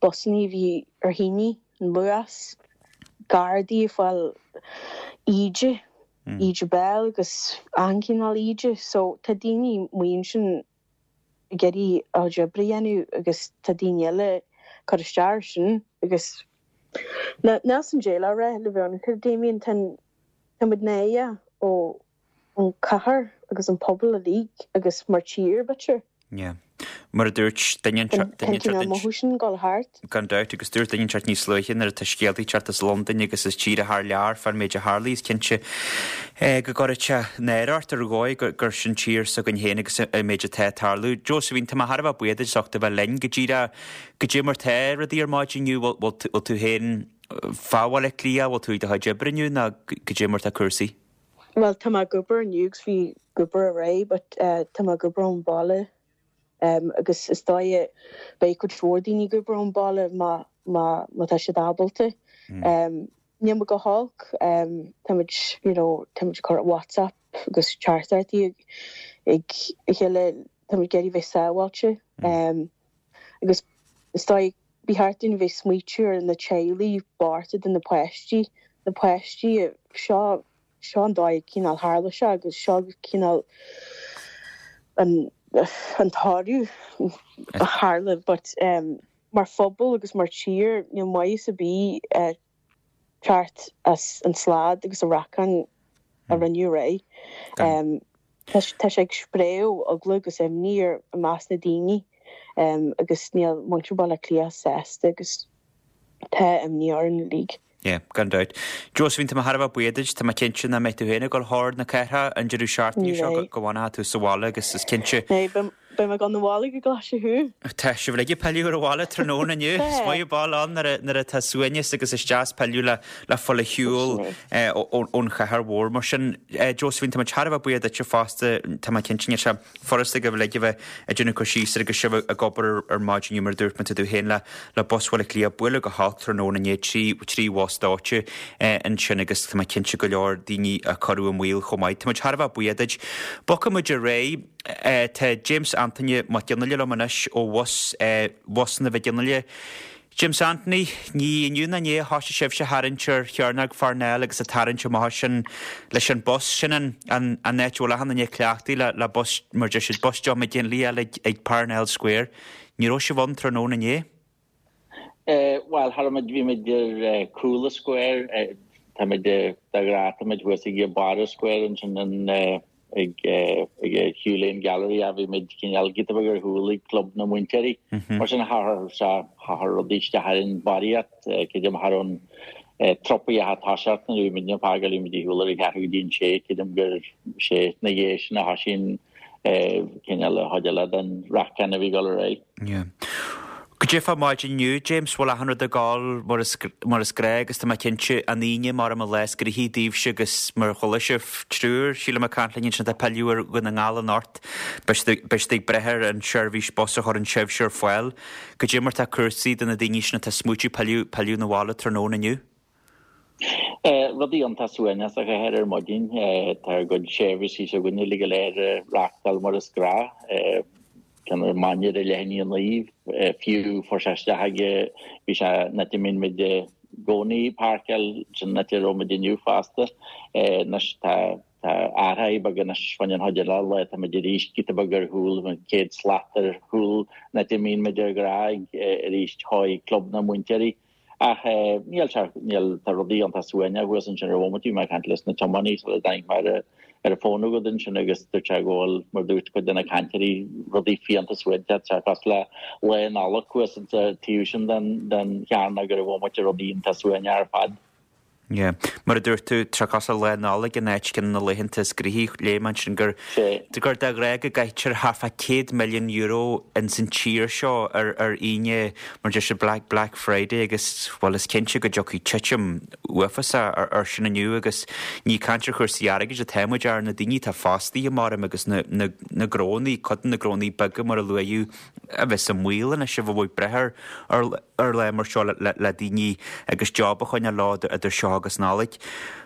busanna a bhí ar thine, an Luas, Gardaí ag fáil íde, íde béil agus achan chineál íde, so tá daoine amuigh ansin ag iarraidh a gcuid oibre a dhéanamh agus tá daoine eile cur isteach air sin agus níl a fhios agam cad é le rá le bheith ionraic Damien tá tá muid náirithe ó an cathair agus an pobal uilig agus mar tír b'fhéidir. Yeah. Mar a dúirt duine Tá cineál mothú sin dul thart. Gan dabht agus dúirt duine inteacht níos luaithe nuair atá scéaltaí teacht as Londain agus as tíortha thar lear fán méid a tharla is cinnte eh, go gcuireann sé náire ort ar dhóigh gur, gur sin tír s'againn féin agus an méid atá ag tarlú. Josephine, tá mé thar a bheith buíoch duit as ucht a bheith linn go díreach cad é mar tá rudaí ar maidin inniu bhfuil bhfuil tú féin fá Bhaile Átha Cliath, bhfuil tú ag do chuid oibre inniu nó cad é mar tá cúrsaí? Well tá mé ag obair inniu agus bhí ag obair aréir, but uh, tá mé ag obair ón baile um, agus is dóigh beidh cuid mhór daoine ag obair ón baile má má má tá siad ábalta. Mm. Um, Níl muid go holc um, tá muid you know, tá muid ag cur WhatsApp agus teachtaireachtaí ag ag a chéile tá muid ag iarraidh bheith sábháilte. Um, agus is dóigh ba cheart dúinn bheith smaoitiú ar na teaghlaigh bochta de na páistí, na páistí seo seo an dóigh cineál tharla sé agus seo cineál an an toradh a tharla but um, mar phobal agus mar tír níl maitheas ar bith uh, teacht as an slad agus an racán a rinneadh aréir. Um, tá tá sé ag spréadh eagla agus imní ar i measc na daoine um, agus níl muintir Bhaile Átha Cliath sásta agus tá imní orainn uilig. Yeah, gan dabht. Josephine, tá mé thar a bheith buíoch duit, tá mé cinnte nach mbeidh tú féin ag dul thar na cathrach an deireadh seachtaine seo Ní go bhfanfaidh tú sa bhaile agus is cinnte Né beidh mé gan na bhaile go glaise thú. Tá sibh ag pilleadh ar an bhaile tráthnóna inniu. Is maith ball ann nuair a- nuair atá suaimhneas agus is deas pilleadh le le fáil ar shiúl eh, ó- ó- ón chathair mhór mar sin. eh, Josephine, tá mé thar a bheith buíoch duitse fosta, tá mé cinnte sé furasta go bhfuil ag bheith ag déanamh cur síos ar agus sibh ag obair ar maidin inniu mar a dúirt mé tú féin le le Bus Bhaile Átha Cliath buaileadh go holc tráthnóna inné trí trí bhus dóite eh, ansin agus tá mé cinnte go leor daoine a cuireadh i mbaol chomh maith. Tá muid thar a bheith buíoch duit. Bogfaidh muid ar aghaidh Tá James Anthony Mac Fhionnghaile liom anois ó bhus Bhusanna Mhic Fhionnghaile. James Anthony, ní inniu ná inné a thosaigh sibhse ag tarraingt ar Chearnóg Pharnell agus ag tarraingt amach sin leis an bus sin an an áit a bhfuil achan duine cleachtaithe le le bus mar deir siad bus John McGinley eile ag ag Parnell Square. Ní raibh sibh ann tráthnóna inné? Bhuel, tha muid, bhí muid ar chúl an Square, tá muid de ghnáth, tá muid thuas ag barr an Square ansin an ag ag Hugh Lane Gallery a bhí muid cineál giota beag ar shiúl ag Club na Múinteoirí. Mar sin thar thar rudaí isteach ar an barraíocht, creidim thar an tropaí a toiseacht nuair a bhí muid ag fágáil, bhí muid ar shiúl ar a ceathrú go dtí an sé, creidim gur sé na dhiaidh sin a thosaigh cineál an chuid eile den racán a bhí ag dul ar aghaidh. Yeah. Goidé fá maidin inniu, James, bhfuil achan rud ag gabháil mar is mar is gnách agus tá mé cinnte an Aoine mar an lá is gnoithí daoibhse agus mar a chuala sibh triúr, sílim ag caint linn ansin atá ag pilleadh ar Dhún na nGall anocht, beidh siad beidh siad ag brath ar an seirbhís bus a chuireann sibhse ar fáil. Goidé mar tá cúrsaí do na daoine sin atá ag smaoitiú pilleadh pilleadh 'na bhaile tráthnóna inniu. Rudaí iontach suaimhneach sa chathair ar maidin. Tá ár gcuid seirbhísí s'againne uilig go léir ag reáchtáil mar is gnách. Ceann ar maidin ar leath i ndiaidh a naoi, fiú fuair sé isteach ag, bhí sé an áit a mbíonn muid i gcónaí ag páirceáil, sin an áit a raibh muid inniu fosta. Anois tá tá athraithe beaga anois fá choinne an chuid eile lae, tá muid arís giota beag ar shiúl, céad slat ar shiúl an áit a mbíonn muid ar ghnáth arís chuig Club na Múinteoirí. Ach níl sé, níl, tá rudaí iontach suaimhneach thuas ansin ar bhomaite, bhí mé ag caint leis na tiománaí sula dtáinig mé ar ar an bhfón agat ansin agus dúirt sé go bhfuil, mar dúirt cuid de na cainteoirí, rudaí fiánta suaimhneach, tá sé cosúil le Lá Nollag thuas insa taobh sin den den chearnóg ar an bhomaite, rudaí iontach suaimhneach ar fad. Yeah. Mar a dúirt tú, tá sé cosúil le Lá Nollag in áit ceann de na laethanta is gnoithí. Léigh mé ansin gur gur de ghnáth go gcaitear thart fá céad milliún euro ins an tír seo ar ar Aoine mar deir siad Black Black Friday agus bhuel is cinnte go dtiocfaidh titim uafásach ar ar sin inniu agus ní caint ar chúrsaí airgid atá muid ar na daoine atá fostaithe maram agus na na na gnónnaí, cuid de na gnónnaí beaga mar a luaíodh a bheas i mbaol anois a bheith ag brath ar ar lá mar seo le le daoine agus job a choinneáil leo idir seo agus Nollaig.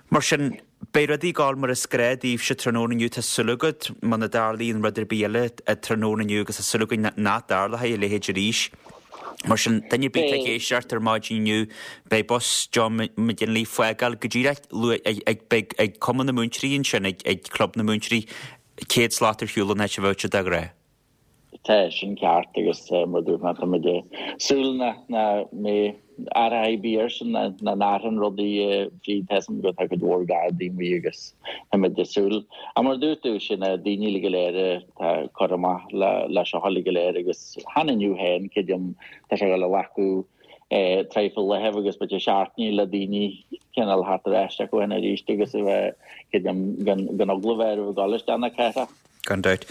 Mar sin, beidh rudaí ag gabháil mar is gnách daoibhse tráthnóna inniu, tá súil agat, muna dtarlaíonn rud ar bith eile tráthnóna inniu agus tá súil againn nach dtarlóidh a leithéid arís. Mar sin, duine ar bith atá ag éisteacht ar maidin inniu, beidh bus John McGinley ag fágáil go díreach luath ag beidh ag Cumann na Múinteoirí ansin, ag ag Club na Múinteoirí, céad slat ar shiúl ón áit a bheadh siad de ghnáth. Tá sin ceart agus mar dúirt mé tá muid ag súil nach mbeidh athrú ar bith air sin nach n-athraíonn rudaí fríd tá a fhios agam go tá cuid mhór gardaí amuigh agus tá muid ag súil. Ach mar dúirt tú sin na daoine uilig go léir atá curtha amach le le seo uilig go léir agus chan inniu féin creidim tá sé ag dul a ghlacadh traidhfil laethibh agus b'fhéidir seachtainí le daoine cineál theacht ar ais acu féin arís agus a bheith creidim gan gan eagla a bheith orthu ag dul isteach na cathrach. Gan dabht.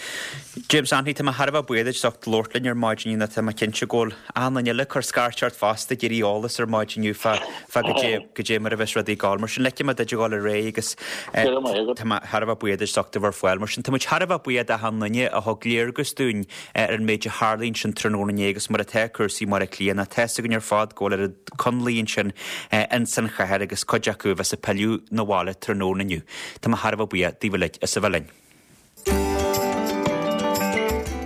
James Anthony, tá mé thar a bheith buíoch duit as ucht labhairt linn ar maidin inniu. Tá mé cinnte go bhfuil achan duine eile ag cur scairt ort fosta ag iarraidh eolas ar maidin inniu fá fá goidé goidé mar a bheas rudaí ag gabháil. Mar sin ligfidh mé duit a dhul ar aghaidh agus Go raibh maith agat. tá mé thar a bheith buíoch duit as ucht a bheith ar fáil. Mar sin tá muid thar a bheith buíoch d'achan duine a thug léargas dúinn ar an méid a tharla ansin tráthnóna inné agus mar atá cúrsaí i mBaile Átha Cliath. Tá a fhios againn ar fad go bhfuil oiread coinlí ansin ins an chathair agus cuid acu a bheas ag pilleadh 'na bhaile tráthnóna inniu. Tá mé thar a bheith buíoch daoibh uilig as a bheith linn.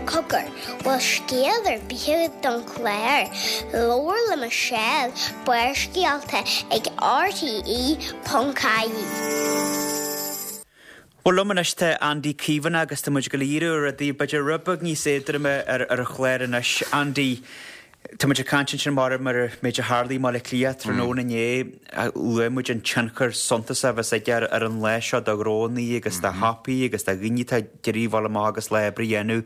Cogar, bhfuil scéal ar bith agat don chlár? Labhair le Michelle, Barrscéalta ag RTE ponc ie. Bhuel liom anois tá Andy Caomhánach agus tá muid ag dul a dhíriú ar rudaí b'fhéidir rud beag níos éadroime ar ar an chlár anois. Andy, Tá muid ag caint ansin mar mar an méid a tharla i mBaile Átha Cliath tráthnóna inné, luaigh muid an tionchar suntasach a bheas aige ar ar an lá seo do ghnónnaí agus do shiopaí agus do dhaoine atá ag iarraidh a bheith amach agus lá oibre a dhéanamh.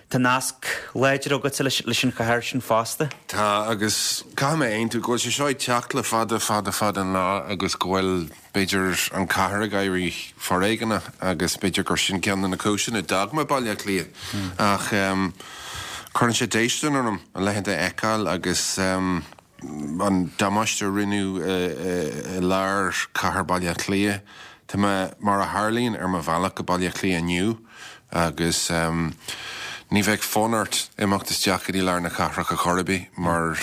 Tá nasc láidir agatsa leis leis an chathair sin fosta. Tá, agus caithfidh mé aontú go bhfuil sé seo ag teacht le fada fada fada an lá agus go bhfuil b'fhéidir an chathair ag éirí foréigeanach agus b'fhéidir gur sin ceann de na cúiseanna a d'fhág mé Baile Átha Cliath. Ach cuireann sé déistin orm a leithéid a fheiceáil agus an damáiste a rinneadh i lár chathair Baile Átha Cliath. Tá mé, mar a tharlaíonn, ar mo bhealach go Baile Átha Cliath inniu agus ní bheadh fonn ort imeacht isteach go dtí lár na cathrach ar chor ar bith mar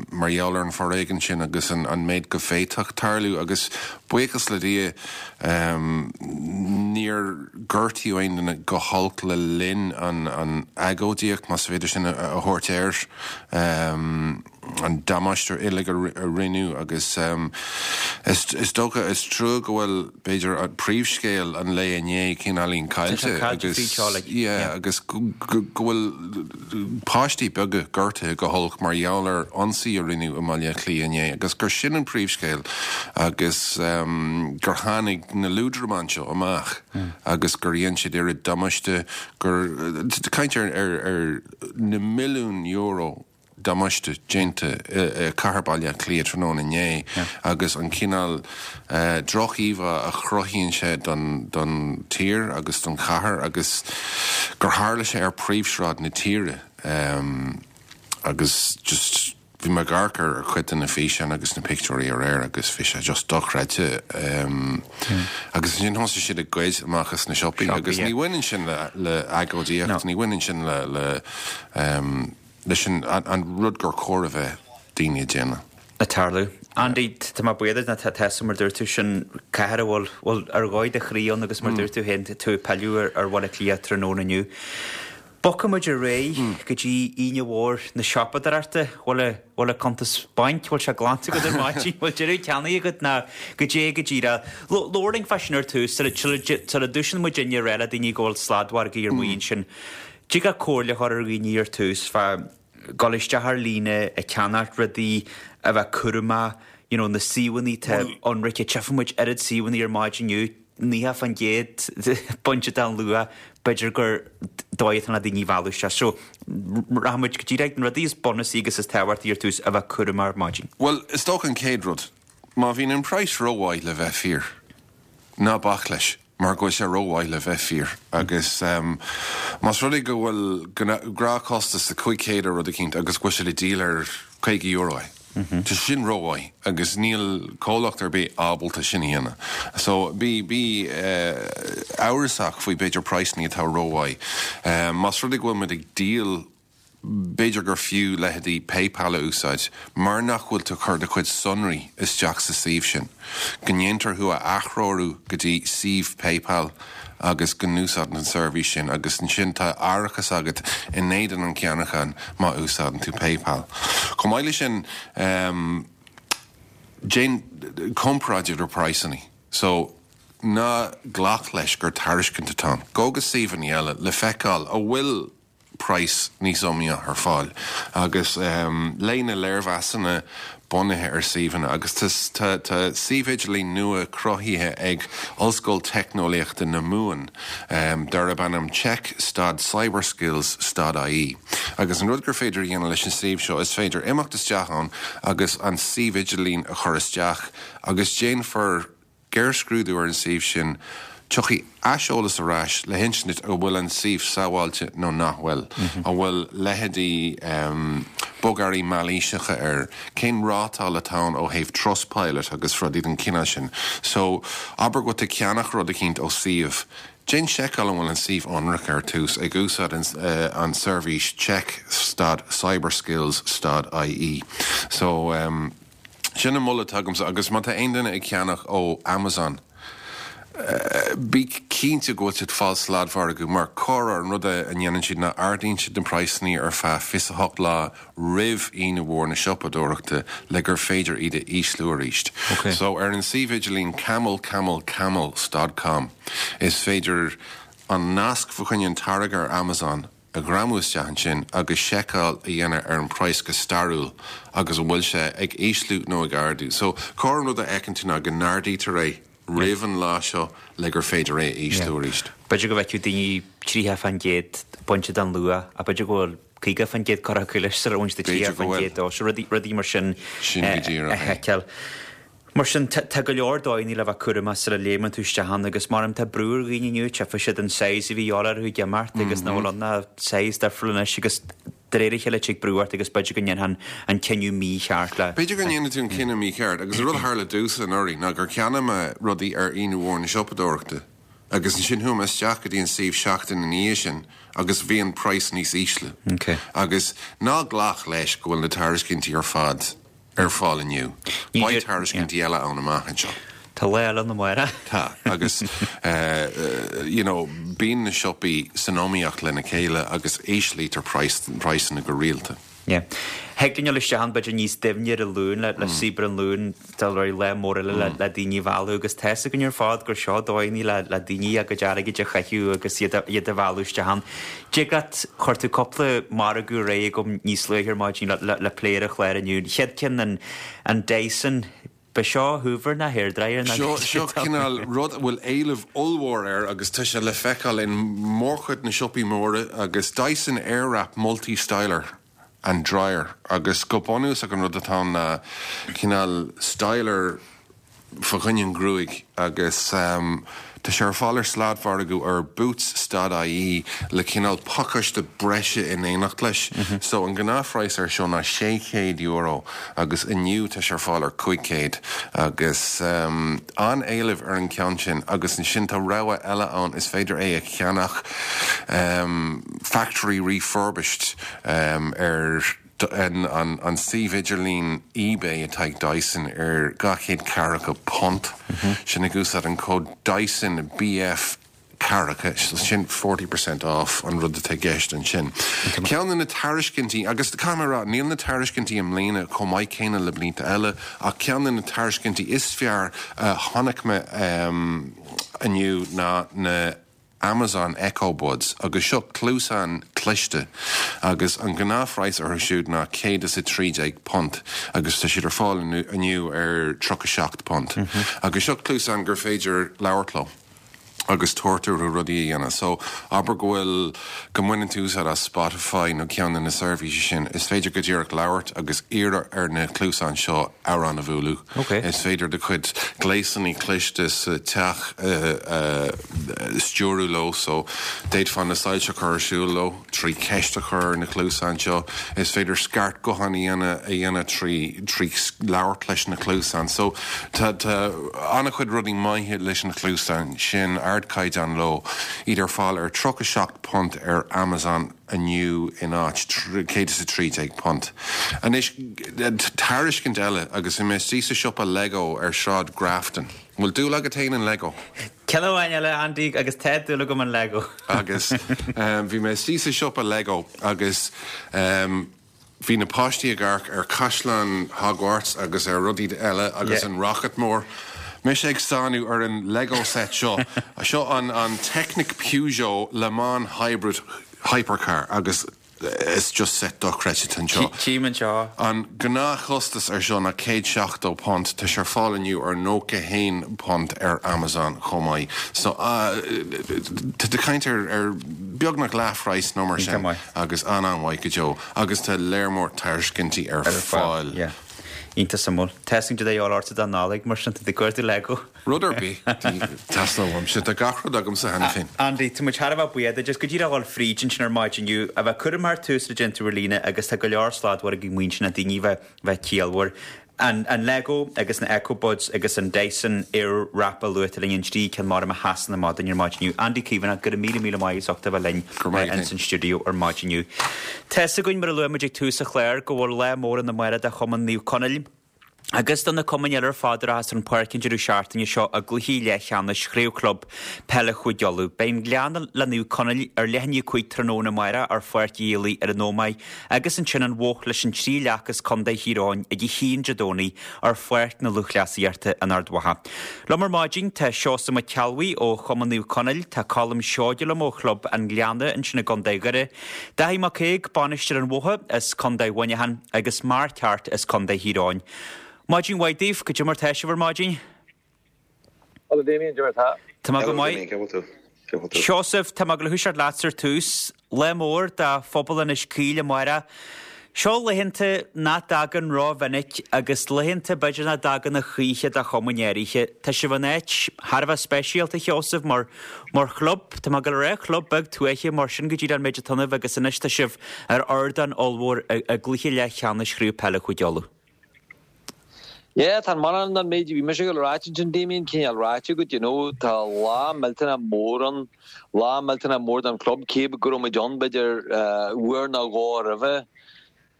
mar gheall ar an foréigean sin agus an an méid go bhféadfadh tarlú agus buíochas le Dia níor gortaíodh aon duine go holc le linn an an agóidíocht más féidir sin a thabhairt air. an damáiste uilig a rinneadh agus is dócha, is trua go bhfuil, b'fhéidir, príomhscéal an lae inné cineáilín caillte agus yeah agus go bhfuil páistí beaga gortaithe go holc mar gheall ar ionsaí a rinneadh i mBaile Átha Cliath inné agus gur sin an príomhscéal agus gur tháinig na liúdramáin seo amach agus gur dhein siad oiread damáiste gur caint ar ar na milliúin euro damáiste déanta i gcathair Bhaile Átha Cliath tráthnóna inné agus an cineál droch-íomhá a chruthaíonn sé don tír agus don chathair agus gur tharla sé ar príomhshráid na tíre agus just bhí mé ag amharc ar chuid de na físeáin agus na pictiúirí aréir agus bhí sé just dochreidte agus ansin thosaigh siad ag goid amach as na siopaí agus ní bhaineann sin le agóidíocht, ní bhaineann sin le leis an rud gur chóir a bheith daoine ag déanamh. Ag tarlú. Andy, tá mé buíoch duit, tá tá mar dúirt tú sin cathair a bhfuil bhfuil ar dhóigh do chroí ann agus mar dúirt tú féin tú ag pilleadh ar Bhaile Átha Cliath tráthnóna inniu. Bogfaidh muid ar aghaidh go dtí Aoine Mhór na Siopadóireachta. Bhfuil a bhfuil a cuntas bainc, bhfuil sé glanta agat ar maidin, bhfuil deireadh ceannaigh agat ná goidé go díreach. Labhair linn fá sin ar tús sula sula dtosaíonn muid ag rá le daoine go bhfuil sladmhargaí ar maidin sin. Tig leat comhairle a chur ar dhaoine ar tús fá dhul isteach ar líne ag ceannacht rudaí, a bheith cúramach, you know na suíomhanna atá ionraice, tchífidh muid oiread suíomhanna ar maidin inniu, naocha fán gcéad bainte den luach, b'fhéidir gur dóigh atá na daoine a mhealladh isteach. So, rachaidh muid go díreach na rudaí is bunúsaí agus is tábhachtaí ar tús, a bheith cúramach ar maidin. Bhuel, is dócha an chéad rud, má bhíonn an praghas rómhaith le bheith fíor, ná bac leis. mar go bhfuil sé rómhaith le bheith fíor agus más rud é go bhfuil gnáthchostas de cúig chéad ar rud eicínt agus go bhfuil sé le díol ar caoga euro é, tá sin rómhaith agus níl comhlacht ar bith ábalta sin a dhéanamh. So bí bí amhrasach faoi b'fhéidir praghsanna atá rómhaith. Más rud é go bhfuil muid ag díol B'fhéidir gur fiú leithéidí PayPal a úsáid mar nach bhfuil tú ag cur do chuid sonraí isteach sa suíomh sin, go ndéantar thú a athreorú go dtí suíomh PayPal agus go n-úsáideann an seirbhís sin agus ansin tá árachas agat in éadan an cheannacháin má úsáideann tú PayPal. Chomh maith leis sin, déan comparáid idir praghsanna. So, ná glac leis gur tairiscint atá ann. Gabh go suíomhanna eile le feiceáil an bhfuil praghas níos iomaíoch ar fáil agus léigh na léirmheasanna bunaithe ar suíomhanna agus tá tá suíomh idirlín nua cruthaithe ag Ollscoil Teicneolaíochta na Mumhan darb ainm Check stad Cyberskills stad ie agus an rud gur féidir a dhéanamh leis an suíomh seo is féidir imeacht isteach ann agus an suíomh idirlín a chur isteach agus déanfar géarscrúdú ar an suíomh sin, tiocfaidh aiseolas ar ais le hinsint duit an bhfuil an suíomh sábháilte nó nach bhfuil, an bhfuil leithéidí bogearraí mailíseacha air, cén rátáil atá ann ó thaobh Trustpilot agus rudaí den chineál sin. So, abair go bhfuil tú ag ceannach rud eicínt ó suíomh, déan seiceáil an bhfuil an suíomh ionraic ar tús ag úsáid an seirbhís check stad cyberskills stad ie. So. Sin an moladh atá agamsa agus má tá aon duine ag ceannach ó Amazon, bí cinnte go bhfuil siad ag fáil sladmhargadh mar corruair an rud a ndéanann siad ná ardaíonn siad na praghsanna ar feadh fiche a hocht lá roimh Aoine Mhór na Siopadóireachta le gur féidir iad a ísliú arís. So ar an suíomh idirlín camelcamelcamels dot com is féidir an nasc fa choinne an táirge ar Amazon a ghreamú isteach ansin agus seiceáil a dhéanamh ar an praghas go stairiúil agus an bhfuil sé ag ísliú nó ag ardú. So, corr an rud a fheiceann tú ná go n-ardaítear é roimh an lá seo le gur féidir é a ísliú arís. B'fhéidir go bhfeicfeadh daoine tríocha fán gcéad bainte den luach ach b'fhéidir go bhfuil caoga fán gcéad curtha acu leis sula bhfuil siad tríocha fán gcéad dó. So rudaí, rudaí mar sin Sin go díreach a é. sheiceáil. Mar sin, tá go leor dóigheanna le bheith cúramach sula léimeann tú isteach ann agus mar tá brú ar dhaoine inniu, tchífidh siad an size a bhí a dhíobháil orthu ag imeacht agus nach bhfuil ann ach size difriúil anois agus de réir a chéile tig brú ort agus b'fhéidir go ndéanfá an cinneadh mícheart le. B'fhéidir go ndéanfaidh tú an cinneadh mícheart agus an rud a tharla domhsa anuraidh ná gur cheannaigh mé rudaí ar Aoine Mhór na Siopadóireachta. Agus ansin chuaigh mé isteach go dtí an suíomh seachtain ina dhiaidh sin agus bhí an praghas níos ísle. Okay. Agus ná glac leis go bhfuil na tairiscintí ar fad ar fáil inniu. Beidh tairiscintí eile ann amach anseo. Tá lá eile ann amárach. Tá, agus you know, bíonn na siopaí san iomaíocht lena chéile agus íslítear praghsanna go rialta. Yeah. Thig linn dul isteach ann b'fhéidir níos doimhne ar an Luan le le Saothar an Luain dul ar lá mór eile le le daoine a mhealladh agus tá 'fhios againn ar fad gur seo dóigheanna le le daoine a gcuid airgid a chaitheamh agus iad a iad a mhealladh isteach ann. Dtig leat, chuir tú cúpla margadh ar aghaidh agam níos luaithe ar maidin le le le plé ar an chlár inniu. An chéad ceann an an Dyson Ba seo Hoover ná hairdryer ná Seo seo cineál rud a bhfuil éileamh ollmhór air agus tá sé le feiceáil in mórchuid na siopaí móra agus Dyson Airwrap Multi Styler and Dryer agus go bunúsach an rud atá ann ná cineál styler fá choinne an ghruaig agus tá sé ar fáil ar sladmhargadh ar Boots stad ie le cineál pacáiste breise in éineacht leis. So an gnáthphraghas air seo ná sé chéad euro agus inniu tá sé ar fáil ar cúig chéad agus an-éileamh ar an gceann sin agus ansin tá rogha eile ann is féidir é a cheannach factory refurbished ar an suíomh idirlín eBay atá ag Dyson ar dhá chéad ceathracha punt. Sin ag úsáid an cód Dyson BF ceathracha, sin forty percent off an rud atá i gceist ansin. Ceann de na tairiscintí, agus caithfidh mé a rá, níl na tairiscintí i mbliana chomh maith céanna le blianta eile, ach ceann de na tairiscintí is fearr a chonaic mé inniu ná na Amazon Echo Buds agus seo cluasáin cliste agus an gnáthphraghas orthu siúd ná céad is a trí déag punt agus tá siad ar fáil inniu ar tríocha seacht punt. Agus seo cluasáin gur féidir labhairt leo agus tabhairt orthu rudaí a dhéanamh. So abair go bhfuil, go mbaineann tú úsáid as Spotify nó ceann de na seirbhísí sin, is féidir go díreach labhairt agus iarraidh ar na cluasáin seo amhrán a bhualadh. Is féidir do chuid gléasanna cliste sa teach a stiúradh leo so d'fhéadfá na soilse a chur ar siúl leo trí cheist a chur ar na cluasáin seo. Is féidir scairt gutháin a dhéanamh trí trí labhairt leis na cluasáin. So tá tá an-chuid rudaí maithe leis na cluasáin sin, ardchaighdeán leo, iad ar fáil ar tríocha seacht punt ar Amazon. inniu in áit céad is a trí déag punt. Anois, tairiscint eile agus bhí mé istigh sa siopa Lego ar Shráid Grafton. An bhfuil dúil agat féin in Lego? Ceann amháin eile, Andy, agus tá dúil agam in Lego. Agus bhí mé istigh sa siopa Lego agus bhí na páistí ag amharc ar Chaisleán Hogwarts agus ar rudaí eile agus an rocket mór. Mise ag stánadh ar an Lego set seo. Seo an an Technic Peugeot Le Mans Hybrid Hypercar agus is just set dochreidte anseo. Tchím anseo. An gnáthchostas ar seo ná céad seachtó punt, tá sé ar fáil inniu ar nócha haon punt ar Amazon chomh maith. So tá tú ag caint ar ar beagnach leathphraghas nó mar sin agus an-an-mhaith go deo agus tá léar mór tairiscintí ar fáil. Iontach suimiúil. Tá a fhios agam cad é a dhíobháil ortsa don Nollaig, mar sin, tá tú ag cuartú Lego. Rud ar bith a theastódh uaimse, tá gach rud agamsa cheana féin. Andy, tá muid thar a bheith buíoch duit as go díreach a dhul fríd ansin ar maidin inniu, a bheith cúramach ar tús le déanamh ar líne agus tá go leor sladmhargaí muinteartha daoine a bheith bheith ciallmhar. An an Lego agus na Echo Buds agus an Dyson Airwrap a luaigh tú linn an trí ceann mar a sheasann amach dúinn ar maidin inniu. Andy Caomhánach, go raibh míle míle maith as ucht a bheith linn Go raibh maith agat. ins an stiúideo ar maidin inniu. Tá 'fhios againn, mar a luaigh muid ag tús an chláir, go bhfuil lá mór ann amárach do Chumann Naomh Conaill agus do na cumainn eile ar fad a rachas ar an pháirc an deireadh seachtaine seo i gcluichí leathcheannais Chraobh Chlub Peile Chúige Uladh. Beidh an Gleann le Naomh Conaill ar leath i ndiaidh a cúig tráthnóna amárach ar Pháirc Uí Éalaí ar an Ómaigh agus ansin an Bhoth leis an Trí Leac as Contae Thír Eoghain ag a haon Dé Domhnaigh ar Pháirc na Lúthchleasaíochta in Ard Mhacha. Liom ar maidin tá Seosamh Mac Ceallbhuí ó Chumann Naomh Conaill, tá Colm Seoige liom ó Chlub an Ghleanna ansin i gContae Dhoire, Dáithí Mac Aoidh, bainisteoir an Bhotha as Contae Mhuineacháin agus Mark Harte as Contae Thír Eoghain. Maidin mhaith daoibh, cad é mar tá sibh ar maidin? Hello Damien, cad é mar tá? Tá mé go Hello maith. Damien, cén bhfuil tú? Cén bhfuil tú? Seosamh, tá mé ag gabháil a thoiseacht leatsa ar tús. Lá mór do phobal Inis Caoil amárach. Seo laethanta nach dtagann rómhinic agus laethanta b'fhéidir nach dtagann a choíche do chumainn áirithe. Tá sibh in áit thar a bheith speisialta, a Sheosaimh, mar mar chlub. Tá mé ag gabháil a rá club beag tuaithe mar sin go díreach an méid atá ionaibh agus anois tá sibh ar ardán ollmhór i gcluiche leathcheannais Chraobh Peile Chúige Uladh. Yeah, tá mórán den méid bhí mise ag rá ansin Damien cineál ráite agat, you know, tá lá millteanach mór ann, lá millteanach mór don club, cé go raibh muid ann b'fhéidir uair nó dhó roimhe.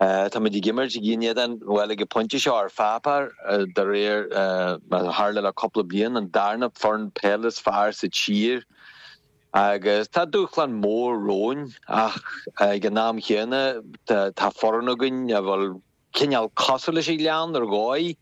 Tá muid ag imirt in éadan, bhuel ag an bpointe seo ar pháipéar, de réir mar a tharla le cúpla bliain, an darna foireann peile is fearr sa tír. Agus tá dúshlán mór romhainn ach ag an am chéanna tá foireann againn a bhfuil cineál cosúil leis an Ghleann ar dhóigh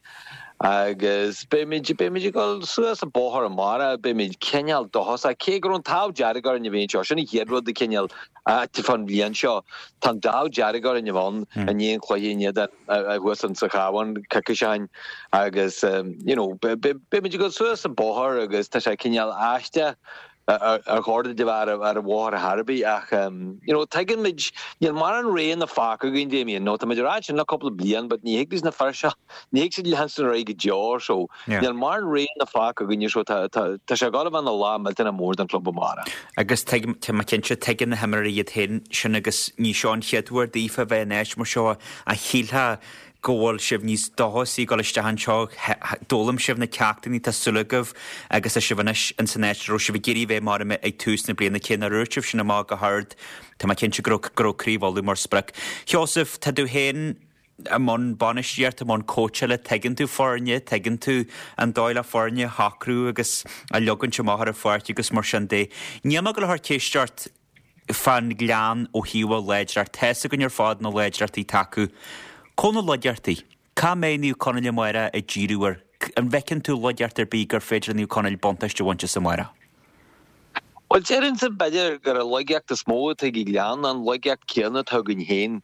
agus beimid beimid ag dul suas an bóthar amárach, beimid cineál dóchasach, cé go raibh an t-ádh dearg orainn a bheith anseo, sin an chéad rud a cineál ait fán bhliain seo, tá an t-ádh dearg orainn a bheith ann i ndiaidh an chluiche in éadan thuas in sa Chabhán coicís ó shin agus you know beimid ag dul suas an bóthar agus tá sé cineál aisteach ar chóir duit a bheith ar an bhóthar ar chor ar bith ach you know tuigeann muid níl mórán roghanna fágtha againn Damien nó tá muid ag rá sin le cúpla bliain but ní thig leis na fir seo ní thig siad leanstan ar aghaidh go deo so níl mórán roghanna fágtha againn so tá tá tá sé ag dul a bheith ina lá millteanach mór don club amárach. Agus tuigim tá mé cinnte tuigeann na himreoirí iad féin sin agus ní seo an chéad uair daofa bheith in áit mar seo a shílfeá go bhfuil sibh níos dóchasaí ag dul isteach anseo, d'fhoghlaim sibh na ceachtanna, tá súil agaibh agus tá sibh anois in san áit a raibh sibh ag iarraidh bheith mar ag tús na bliana, cé nár dhúirt sibh sin amach go hard, tá mé cinnte go raibh go raibh Craobh Uladh mar sprioc. Sheosamh, tá tú féin i mbun bainistíochta, i mbun cóitseála, tuigeann tú foirne, tuigeann tú an dóigh le foirne a shocrú agus a leogaint amach ar an pháirc agus mar sin de. Níl mé ag dul a chur ceist ort fán Ghleann ó thaobh a láidreacht. Tá fhios againn ar fad na láidreachtaí atá acu. Cá na laigeachtaí? Cá mbeidh Naomh Conaill amárach ag díriú air? An bhfeiceann tú laigeacht ar bith gur féidir le Naomh Conaill buntáiste a bhaint as amárach? Bhuel, déarfainnse b'fhéidir gur an laigeacht is mó atá ag an Ghleann ná an laigeacht céanna atá againn féin.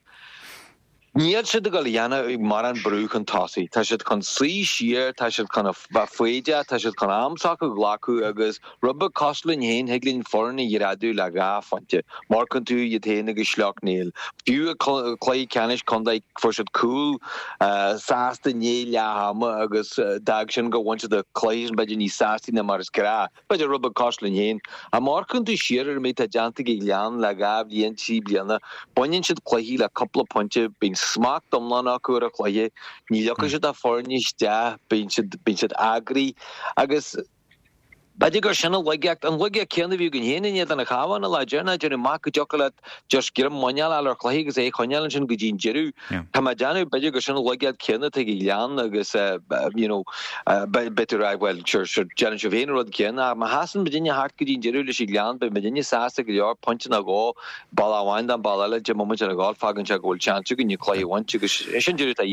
Níl siad ag dul a dhéanamh mórán brú chun tosaigh. Tá siad chun suí siar, tá siad chun a bheith foighdeach, tá siad chun am s'acu a ghlacadh agus rud beag cosúil linn féin, thig linn foireann a ghreadadh le dhá phointe. Má amharcann tú iad féin agus Sleacht Néill. Fiú i gcluiche ceannais contae fuair siad cúl sásta i ndiaidh leath ama agus d'fhág sin gur bhain siad an cluiche sin b'fhéidir níos sástaí ná mar is gnách. B'fhéidir rud beag cosúil linn féin. Ach má amharcann tú siar ar an méid atá déanta ag an Ghleann le dhá bhliain, trí bliana, baineann siad cluichí le cúpla pointe, bíonn smacht iomlán acu ar an chluiche, ní leogfaidh siad a foirne isteach, bíonn siad, bíonn siad eagraithe agus b'fhéidir gur sin an laigeacht, an laigeacht céanna a bhí againn féin in éadan an Chabháin an lá deireanach, déanamh amach go dtiocfadh leat just greim muineáil a fháil ar chluiche agus é a choinneáil ansin go dtí an deireadh. Tá mé ag déanamh, b'fhéidir gur sin an laigeacht céanna atá ag an Ghleann agus you know beidh tú ag rá bhuel sure sure déanann sibh féin an rud céanna ach má sheasann muidinne thart go dtí an deireadh leis an Ghleann beidh muidinne sásta go leor, pointe nó dhó, bealach amháin don bealach eile, deich mbomaite le gabháil, fágann sé go bhfuil seans againn an cluiche a bhaint agus sin deireadh atá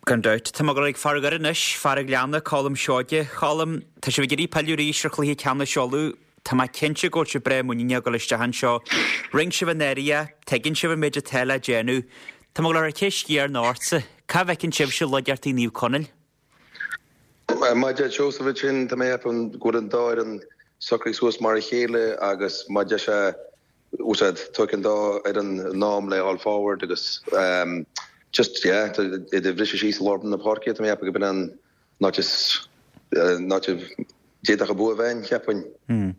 Gan dabht. Tá mé ag dul ag fear an Dhoire anois, fear an Ghleanna, Colm Seoige. Colm, tá sibh ag iarraidh pilleadh arís ar chluiche ceannais Uladh. Tá mé cinnte go bhfuil sibh breá muiníneach ag dul isteach anseo. Rinne sibh anuraidh é, tuigeann sibh an méid atá le déanamh. Tá mé ag dul a chur ceist chéanna ortsa. Cá bhfeiceann sibhse laigeachtaí Naomh Conaill? Mar a deir Seosamh ansin, tá mé ag ceapadh go bhfuil an dá fhoireann socraithe suas mar a chéile agus má deir sé úsáid tógfaidh an dá fhoireann a n-am le dhul forward agus just yeah iad a bhriseadh síos i lár na páirce tá mé ag ceapadh go b'in an áit is an áit a d'fhéadfadh an bua a bheith ann, cheapfainn.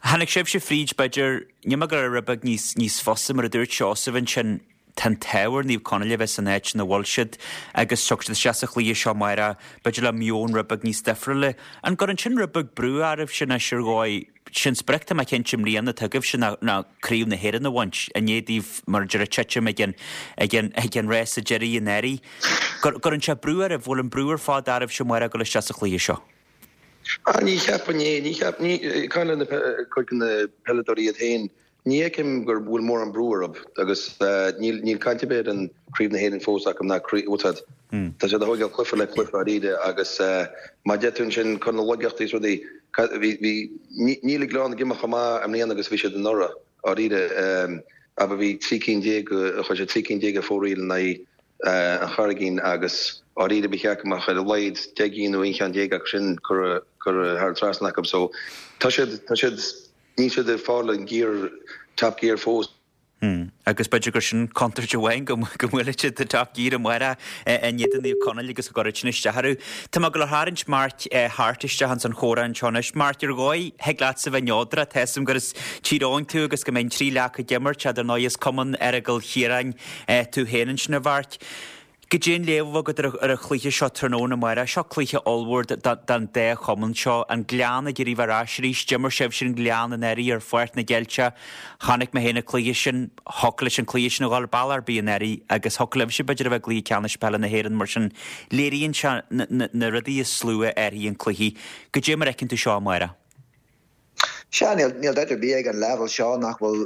Tháinig sibhse fríd b'fhéidir, níl mé ag dul a rá rud beag níos níos fusa mar a dúirt Seosamh ansin, tá an t-ádh ar Naomh Conaill a bheith san áit ina bhfuil siad agus tiocfaidh siad isteach sa chluiche seo amárach b'fhéidir le meon rud beag níos difriúla. An gcuireann sin rud beag brú oraibhse anois ar dhóigh? Sin sprioc tá mé cinnte i mbliana atá agaibhse ná ná Craobh na hÉireann a bhaint i ndiaidh daoibh mar a deir titim ag an ag an ag an rása deiridh anuraidh. Gcuireann sé brú oraibh, bhfuil an brú ar fad oraibhse amárach ag dul isteach sa chluiche seo? Ah ní cheapfainn é, ní cheap ní caint le na cuid de na peileadóirí iad féin Ní fheicim go bhfuil mórán brú orthu agus níl níl caint ar bith ar an Craobh na hÉireann fós acu ná craobh úsáid. Tá siad a thógáil cluiche le cluiche dáiríre agus mar a deir tú ansin chun na laigeachtaí is rudaí bhí bhí níl an Gleann ag imeacht chomh maith i mbliana agus a bhí siad anuraidh dáiríre abair bhí trí cinn déag chuir siad trí cinn déag ar fóraoil in aghaidh an Charraigín agus dáiríre ba cheart go mbeadh ar a laghad deich gcinn nó aon cheann déag acu sin curtha curtha thar an trasnán acu so tá siad tá siad Níl siad ag fáil an gear, top gear fós. Agus b'fhéidir gur sin contúirt amháin go mbuailfidh siad the top gear amárach in éadan Naomh Conaill agus go gcuirfidh sin isteach orthu. Tá mé ag dul a tharraingt Mark Harte isteach ins an chomhrá anseo anois. Mark, ar dhóigh, thig leatsa bheith neodrach, tá 'fhios a'm gur as Tír Eoghain tú agus go mbeidh an trí laoch ag imirt, ar ndóigh is Cumann Aireagail Chiaráin tú féin ansin a Mharc. Goidé an léamh agat ar an chluiche seo tráthnóna amárach. Seo cluiche ollmhór don dá chumann seo. An Gleann ag iarraidh bheith ar ais arís. D'imir sibhse an Gleann anuraidh ar Pháirc na gCeilteach. Chonaic mé féin an cluiche sin. Thiocfadh leis an cluiche sin a dhul bealach ar bith anuraidh agus thiocfadh libhse b'fhéidir a bheith i gcluiche ceannais peile na hÉireann mar sin. Léiríonn sé na rudaí is lú a athraíonn an cluiche. Goidé mar a fheiceann tú seo amárach. Sea, níl dabht ar bith ag an leibhéal seo nach bhfuil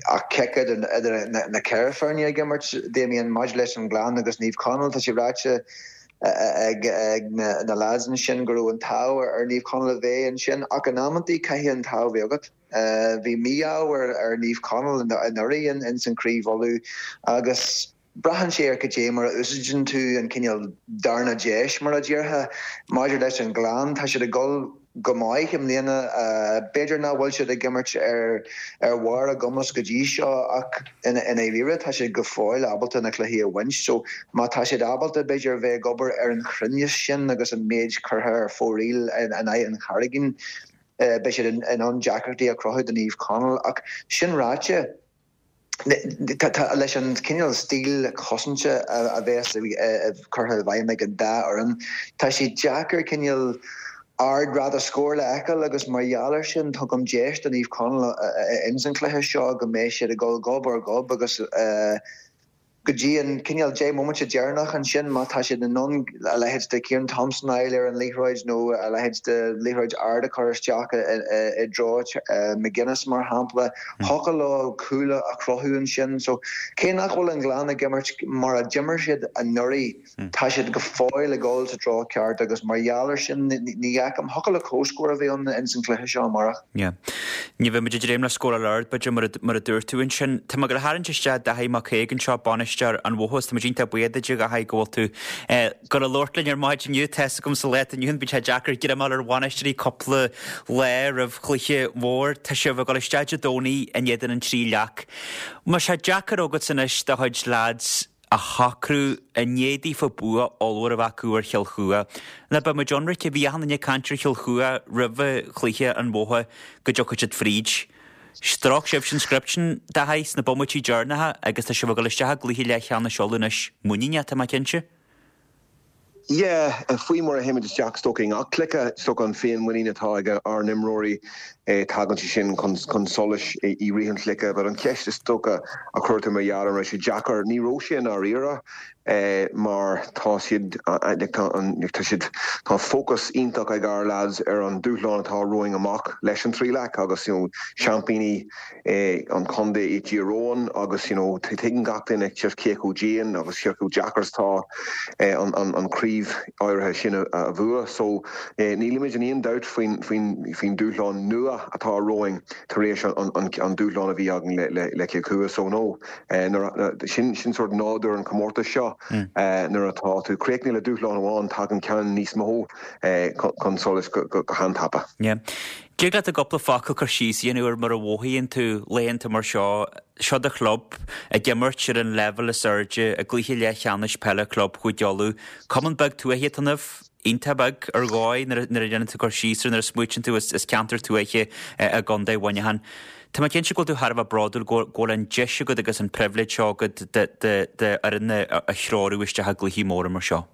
ach cic idir na ceithre foirne ag imirt, Damien, maidir leis an nGleann agus Naomh Conaill. Tá sé ráite ag na lads ansin go raibh an t-ádh ar Naomh Conaill a bheith ansin ach in amantaí caithfidh an t-ádh bheith agat. Bhí mí-ádh ar Naomh Conaill anuraidh ins an Craobh Uladh agus Braitheann sé ar cad é mar a úsáideann tú an cineál darna deis, mar a déarfá. Maidir leis an nGleann, tá siad ag dul go maith i mbliana. B'fhéidir nach bhfuil siad ag imirt ar ar bharr a gcumas go dtí seo ach i ndáiríre tá siad go fóill ábalta na cluichí a bhaint. So má tá siad ábalta b'fhéidir bheith ag obair ar an chruinneas sin agus an méid curtha ar fóraoil in aghaidh an Charraigín, beidh siad in ann deacrachtaí a chruthú do Naomh Conaill. Ach sin ráite, Leis an cineál stíl cosanta a bheas curtha i bhfeidhm ag an dá fhoireann, tá sé deacair cineál ard-ráta scóir le fheiceáil agus mar gheall air sin tugaim deis do Naomh Conaill ins an chluiche seo go mbeidh siad ag dul gob ar ghob agus go dtí an cineál deich mbomaite deireanach ansin má tá siad in ann a leithéid de Kieran Thompson a fháil ar an liathróid nó a leithéid de liathróid ard a chur isteach i dtreo McGuinness mar shampla, thiocfadh leo cúl a chruthú ansin. So cé nach bhfuil an Gleann ag imirt mar a d'imir siad anuraidh, tá siad go fóill ag dul sa treo ceart agus mar gheall air sin ní fheicim, thiocfadh le comhscór a bheith ann ins an chluiche seo amárach. Yeah. Ní bheidh muid ag dréim le scóráil ard, b'fhéidir, mar a, mar a dúirt tú ansin. Tá mé ag gabháil a tharraingt isteach Daithí Mac Aoidh anseo, bainisteoir an Bhotha agus tá muid iontach buíoch duit, a Dhaithí, go bhfuil tú ag gabháil a labhairt linn ar maidin inniu. Tá 'fhios agam sa lá atá inniu ann, bíonn sé deacair greim a fháil ar bhainisteoirí cúpla lá roimh chluiche mhór. Tá sibh ag dul isteach Dé Domhnaigh in éadan an Trí Leac. An mbeidh sé deacair agatsa anois do chuid leaids a shocrú i ndiaidh daofa bua ollmhór a bheith acu ar Chill Chua. Ná beidh muid ionraic, bhí achan duine ag caint ar Chill Chua roimh chluiche an Bhotha go dtiocfadh siad fríd. Stróic sibhse an script sin, Daithí, sna bomaití deireanacha agus tá sibh ag dul isteach i gcluiche leathcheannais Uladh anois muiníneach, tá mé cinnte. Yeah, faoi mar a théimid isteach is dócha i ngach cluiche, is dócha an féinmhuinín atá ag ár n-imreoirí, tagann sé sin chun solais i rith an chluiche. But an cheist is dócha a chuir tú mar gheall ar an raibh sé deacair, ní raibh sé i ndáiríre mar tá siad, tá siad, tá fócas iontach ag ár lads ar an dúshlán atá romhainn amach leis an Trí Leac agus you know seaimpíní an chontae iad Tír Eoghain agus you know tuigeann gach duine just cé chomh dian agus cé chomh deacair is atá an an chraobh áirithe sin a bhua. So nílimid in aon dabht faoin faoin faoin dúshlán nua atá romhainn tar éis an an an dúshlán a bhí againn le le le Cill Chua. So no nuair sin sin sort nádúr an chomórtais seo nuair atá tú críochnaithe le dúshlán amháin tagann ceann níos mó chun solais go go han-tapa. Yeah. Dtig leat i gcúpla focal cur síos a dhéanamh ar mar a mhothaíonn tú laethanta mar seo, seo do chlub ag imirt ar an leibhéal is airde i gcluiche leathcheannais peile club Chúige Uladh. Cumann beag tuaithe atá ionaibh, iontach beag ar dhóigh nuair a dhéanann tú cur síos air, nuair a smaoitíonn tú is ceantar tuaithe i gContae Mhuineacháin. Tá mé cinnte go bhfuil tú thar a bheith bródúil go bhfuil an deis agat agus an pribhléid seo agat d'fhoireann a threorú isteach i gcluichí móra mar seo.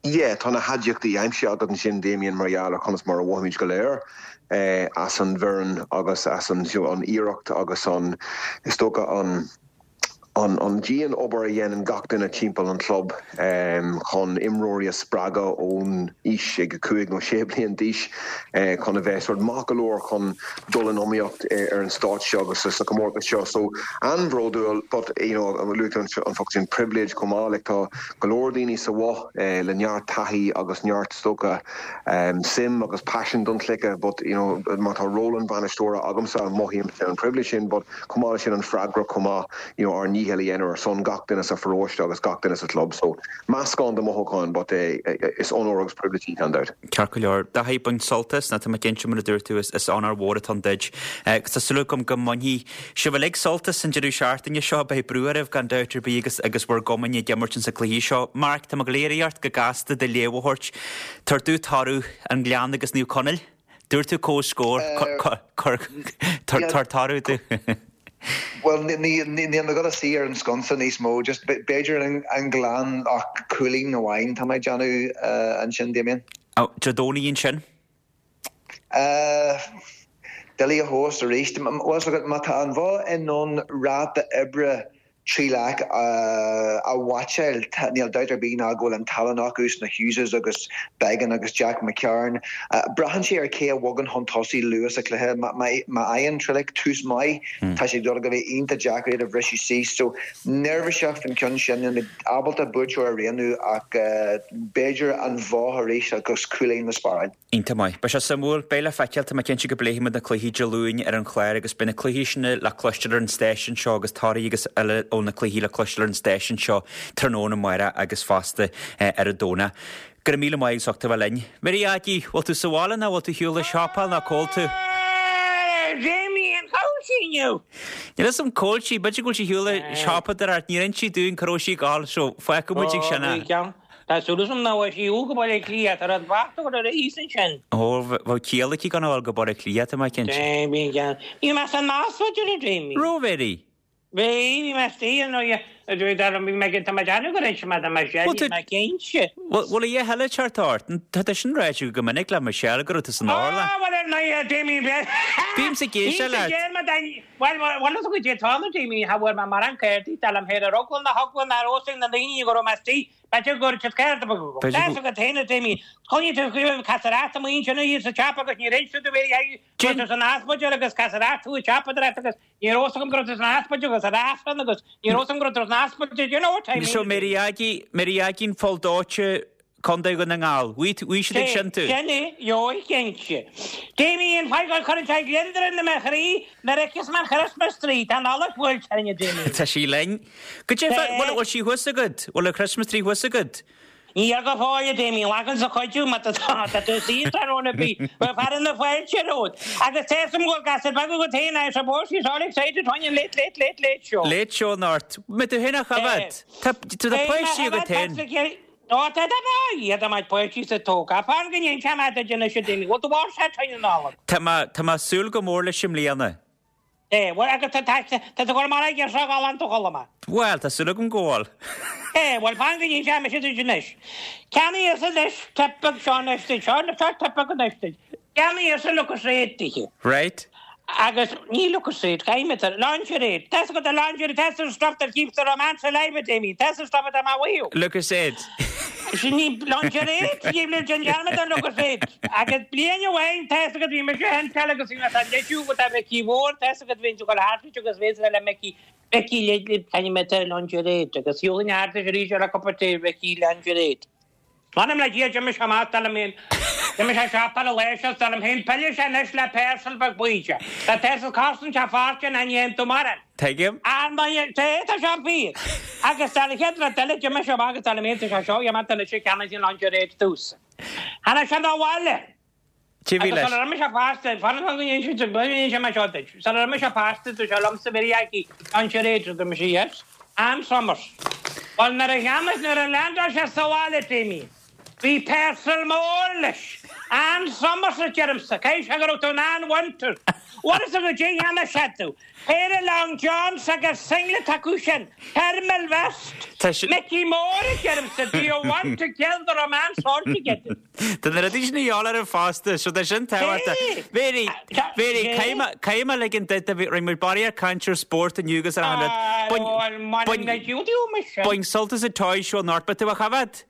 Yeah, tá na haidiachtaí aimsithe agat ansin, Damien, mar gheall ar conas mar a mhothaímid go léir as an bhfoireann agus as an an iarracht agus an, is dócha, an an an dian-obair a dhéanann gach duine timpeall an chlub chun imreoirí a spreagadh ón aois ag a cúig nó sé bliain d'aois chun a bheith sort maith go leor chun dul in iomaíocht ar an stáitse seo agus sa chomórtas seo. So, an-bhródúil but, you know, luaigh tú an focal sin privilege chomh maith, like tá go leor daoine sa Bhoth le neart taithí agus neart is dócha suim agus paisean don chluiche but, you know, má tá ról an bhainisteora agamsa mothaím an privilege sin but chomh maith leis sin an freagracht chomh maith, you know, ár ndícheall a dhéanamh ar son gach duine sa pharóiste agus gach duine sa chlub so meascán de mhothúcháin but is onóir agus privilege í gan dabht. Ceart go leor. Daithí, bain sult as, nó tá mé cinnte mar a dúirt tú is onóir mhór atá ann duit. Agus tá súil agam go mbainfidh sibh uilig sult as an deireadh seachtaine seo. Beidh brú oraibh gan dabht ar bith agus agus bhur gcumainn ag imirt insa cluiche seo. Mark, tá mé ag iarraidh ort go gasta do léamh a thabhairt. Tabhair domh toradh an Gleann agus Naomh Conaill. Dúirt tú comhscór. Tabhair toradh domh. Bhuel, níl mé ag dul a suí ar an sconsa níos mó, just b'fhéidir an Gleann ach cúilín amháin tá mé ag déanamh ansin, Damien. Dé Domhnaigh ansin? Doiligh a thomhas arís. Bhuel, má tá an Bhoth in ann ráta oibre Tríleac a mheaitseáil, níl dabht ar bith ná go bhfuil an tallann acu sna Hugheses agus Beggan agus Jack McCarron. Braitheann sé ar cé a bhogann chun tosaigh luath sa chluiche. Má fhaigheann Trillick tús maith, tá sé ag dul a bheith iontach deacair iad a bhriseadh síos. So, neirbhíseach faoin ceann sin. Níl mé ábalta buaiteoir a roghnú ach b'fhéidir an Bhoth arís agus cúilín le spáráil. Iontach maith. Beidh sé suimiúil. Beidh le feiceáil. Tá mé cinnte go bpléifidh muid na cluichí Dé Luain ar an chlár agus beidh na cluichí sin le cloisteáil ar an stáisiún seo agus torthaí agus eile ó na cluichí le cloisteáil ar an stáisiún seo tráthnóna amárach agus fosta ar an Domhnach. Go raibh míle maith as ucht a bheith linn. Mary Aggie, bhfuil tú sa bhaile nó bhfuil tú ar shiúl ag siopail nó cá bhfuil tú? Damien, cá bhfuil sí inniu? Níl fhios a'm cá bhfuil sí, b'fhéidir go bhfuil sí ar shiúl ag siopadóireacht, níor inis sí dúinn cá raibh sí ag gabháil so fágfaidh muid ag sin é. Tá súil agam nach bhfuil sí go Baile Átha Cliath, tá rud bocht a chur ar a thíos ansin. Ó, bheadh ciall aici gan a dhul go Baile Átha Cliath, tá mé cinnte. Bhí ceann. Bhí mé san ospidéal a Jamie. Raibh, Mary? Bhí, bhí mé istigh an oíche, bhí mé tá mé ag déanamh gur inse mé do Michelle, bhí mé cinnte. Bhfuil a dhath eile ag teacht ort? Tá tú sin ráite go minic le Michelle go raibh tú san otharlann. Á, bhuel ar ndóigh a Jamie, bhí. Bímse ag éisteacht leat. Bhuel, bhuel, is go dtí an t-am a Jamie, cha bhfuair mé mórán cártaí, dar liom féin ar eagla na heagla nár óstaigh na daoine go raibh mé istigh. B'fhéidir go raibh siad ceart agam. Tá fhios agat féin a Jamie, choinnigh tú faoi casaireacht amuigh ansin thíos sa tsiopa agus níor inis tú do Mhary Aggie go raibh tú san ospidéal agus casaireacht tú ag siopadóireacht agus ní raibh fhios agam go raibh tú san ospidéal agus ar Aifreann agus ní raibh fhios agam go raibh tú san ospidéal, you know what I mean? So Mary Aggie, Mary Aggie an Pholl Dóite, Contae Dhún na nGall. Bhí siad ag sin tú. Sin é, gheobhaidh cinnte. Jamie, an fáth go gcuireann sé gliondar i mo chroí nuair a fheiceas mé an Christmas tree, tá an Nollaig buailte orainn a Jamie. Tá sí linn. Goidé, bhfuil bhfuil sí thuas agat? Bhfuil an Christmas tree thuas agat? Níl go fóill a Jamie, lagann sa chuidiú má tá tá tú saor tráthnóna ar bith. Bheadh fear na fáilte romhat. Agus tá fhios agam go bhfuil gasúir beaga agat féin, I suppose she's all excited fá choinne an late late late late show. Late show anocht. Mbeidh tú féin á choimhéad? Tá tá páistí agat féin. Ó tá tá tá iad a mbeidh páistí sa tóg. Fan go ndéan mé duit anois a Jamie. Bhfuil tú mhór sé fá choinne na Nollag? Tá mé tá mé ag súil go mór leis i mbliana. É, bhuel agus tá tá tá tú ag gabháil amach ag iarraidh galánta a dhul amach. Bhuel, tá súil agam go bhfuil. É, bhuel fan go ndéan mise duit anois. Ceannaíos anois tip beag seo anois duit, seo seo tip beag anois duit. Ceannaíos Lucozade duithe. Right. Agus ní Lucozade, caithfidh mé lingerie. Tá fhios agat an lingerie, tá an stuff that keeps the romance alive, a Jamie. Tá an stuff atá mé a mhaíomh. Lucozade. Sin ní lingerie, ní déan dearmad ar Lucozade. Agus bliain amháin, tá fhios agat bhí mise féin teil agus bhí mé sa leisiú go tá Micí Mhór, tá fhios agat bhí tú ag dul thart agus bhí le Micí Micí le caithfidh mé lingerie agus shiúil thart arís ar a cupa tae Micí lingerie. M'anam le Dia, d'imigh sé amach, dar liom féin. D'imigh sé siopail a lae seo, dar liom féin, pillfidh sé anois le parcel beag buí. Tá parcel cosaint sé fortune a ndéan tú maireann. Tuigim. Ar ndóigh, tá, tá sé fíor. Agus dar le chéad rud eile, d'imigh sé amach agus dar liom féin, tá sé seo, dhéanfaidh tú anois a cheannaigh an lingerie dtús. Tháinig sé 'na bhaile. Cé bhí Agus leis? sula raibh mise pósta, fan go ndéan sé, go ndéan sé mé seo duit. Sula raibh mise pósta, dúirt sé liomsa, Mary Aggie, lingerie, dúirt mise, yes. Ann Summers. Bhuel, nuair a cheannaigh, nuair a leaindeáil sé sa bhaile, Jamie, bhí parcel mór leis. Ann Summers a deirimse, caithfidh sé go raibh tú in Ann Winter. Bhfuil fhios agat goidé a cheannaigh sé domh? Péire long johns agus singlet acu sin, thermal vest. Tá sé. Mickey Mór a deirimse, do you want to kill the romance altogether? Tá na rudaí sin a dhíobháil ar an fosta, so tá sin tábhachtach. Hey! Mary, Mary, Hey! caithfidh mé, caithfidh mé ligean duit, a bhí, rinne muid barraíocht ar caint ar spórt inniu agus ar achan rud. Ah, Bain, bhuel, bain, m'anam le Dia, mise. bain sult as an Toy Show anocht, beidh tú á choimhéad?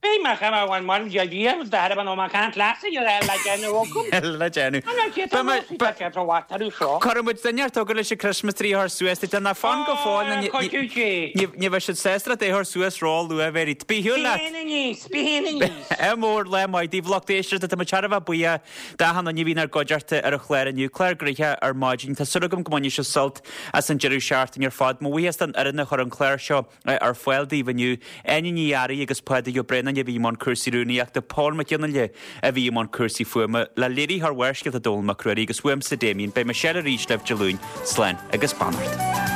Beidh mé chun bhuel mar Dia Dia do thairbhe nó má can't leas a dhéanamh le déanamh agam. Le déanamh. An raibh siad Beidh mé, tá beidh, sé rómhaith orthu seo. Cuirfidh muid duine inteacht chugat leis an Christmas tree a chur suas duit, ná fan go fóill nó Ah, ní, ní, cuidiú Dé. ní, ní bheidh siad sásta leat é a chur suas ró-luath, Mary. Bí ar shiúl Bí leat. féin aníos, bí féin aníos. Ádh mór, lá maith daoibh lucht éisteachta, tá muid thar a bheith buíoch d'achan duine a bhí inár gcuideachta ar an chlár inniu, clár gnoitheach ar maidin. Tá súil agam go mbainfidh sibh sult as an deireadh seachtaine ar fad. Mo bhuíochas don fhoireann a chuir an clár seo ar fáil daoibh inniu, Áine Ní Fhearraigh agus Pádraig Ó Braonáin a bhí i mbun cúrsaí rúnaíochta, Pól Mac Fhionnghaile a bhí i mbun cúrsaí fuaime, le léiritheoir Bharrscéalta Dónall Mac Ruairí agus uaimse Damien. Beidh Michelle arís libh Dé Luain. Slán agus beannacht.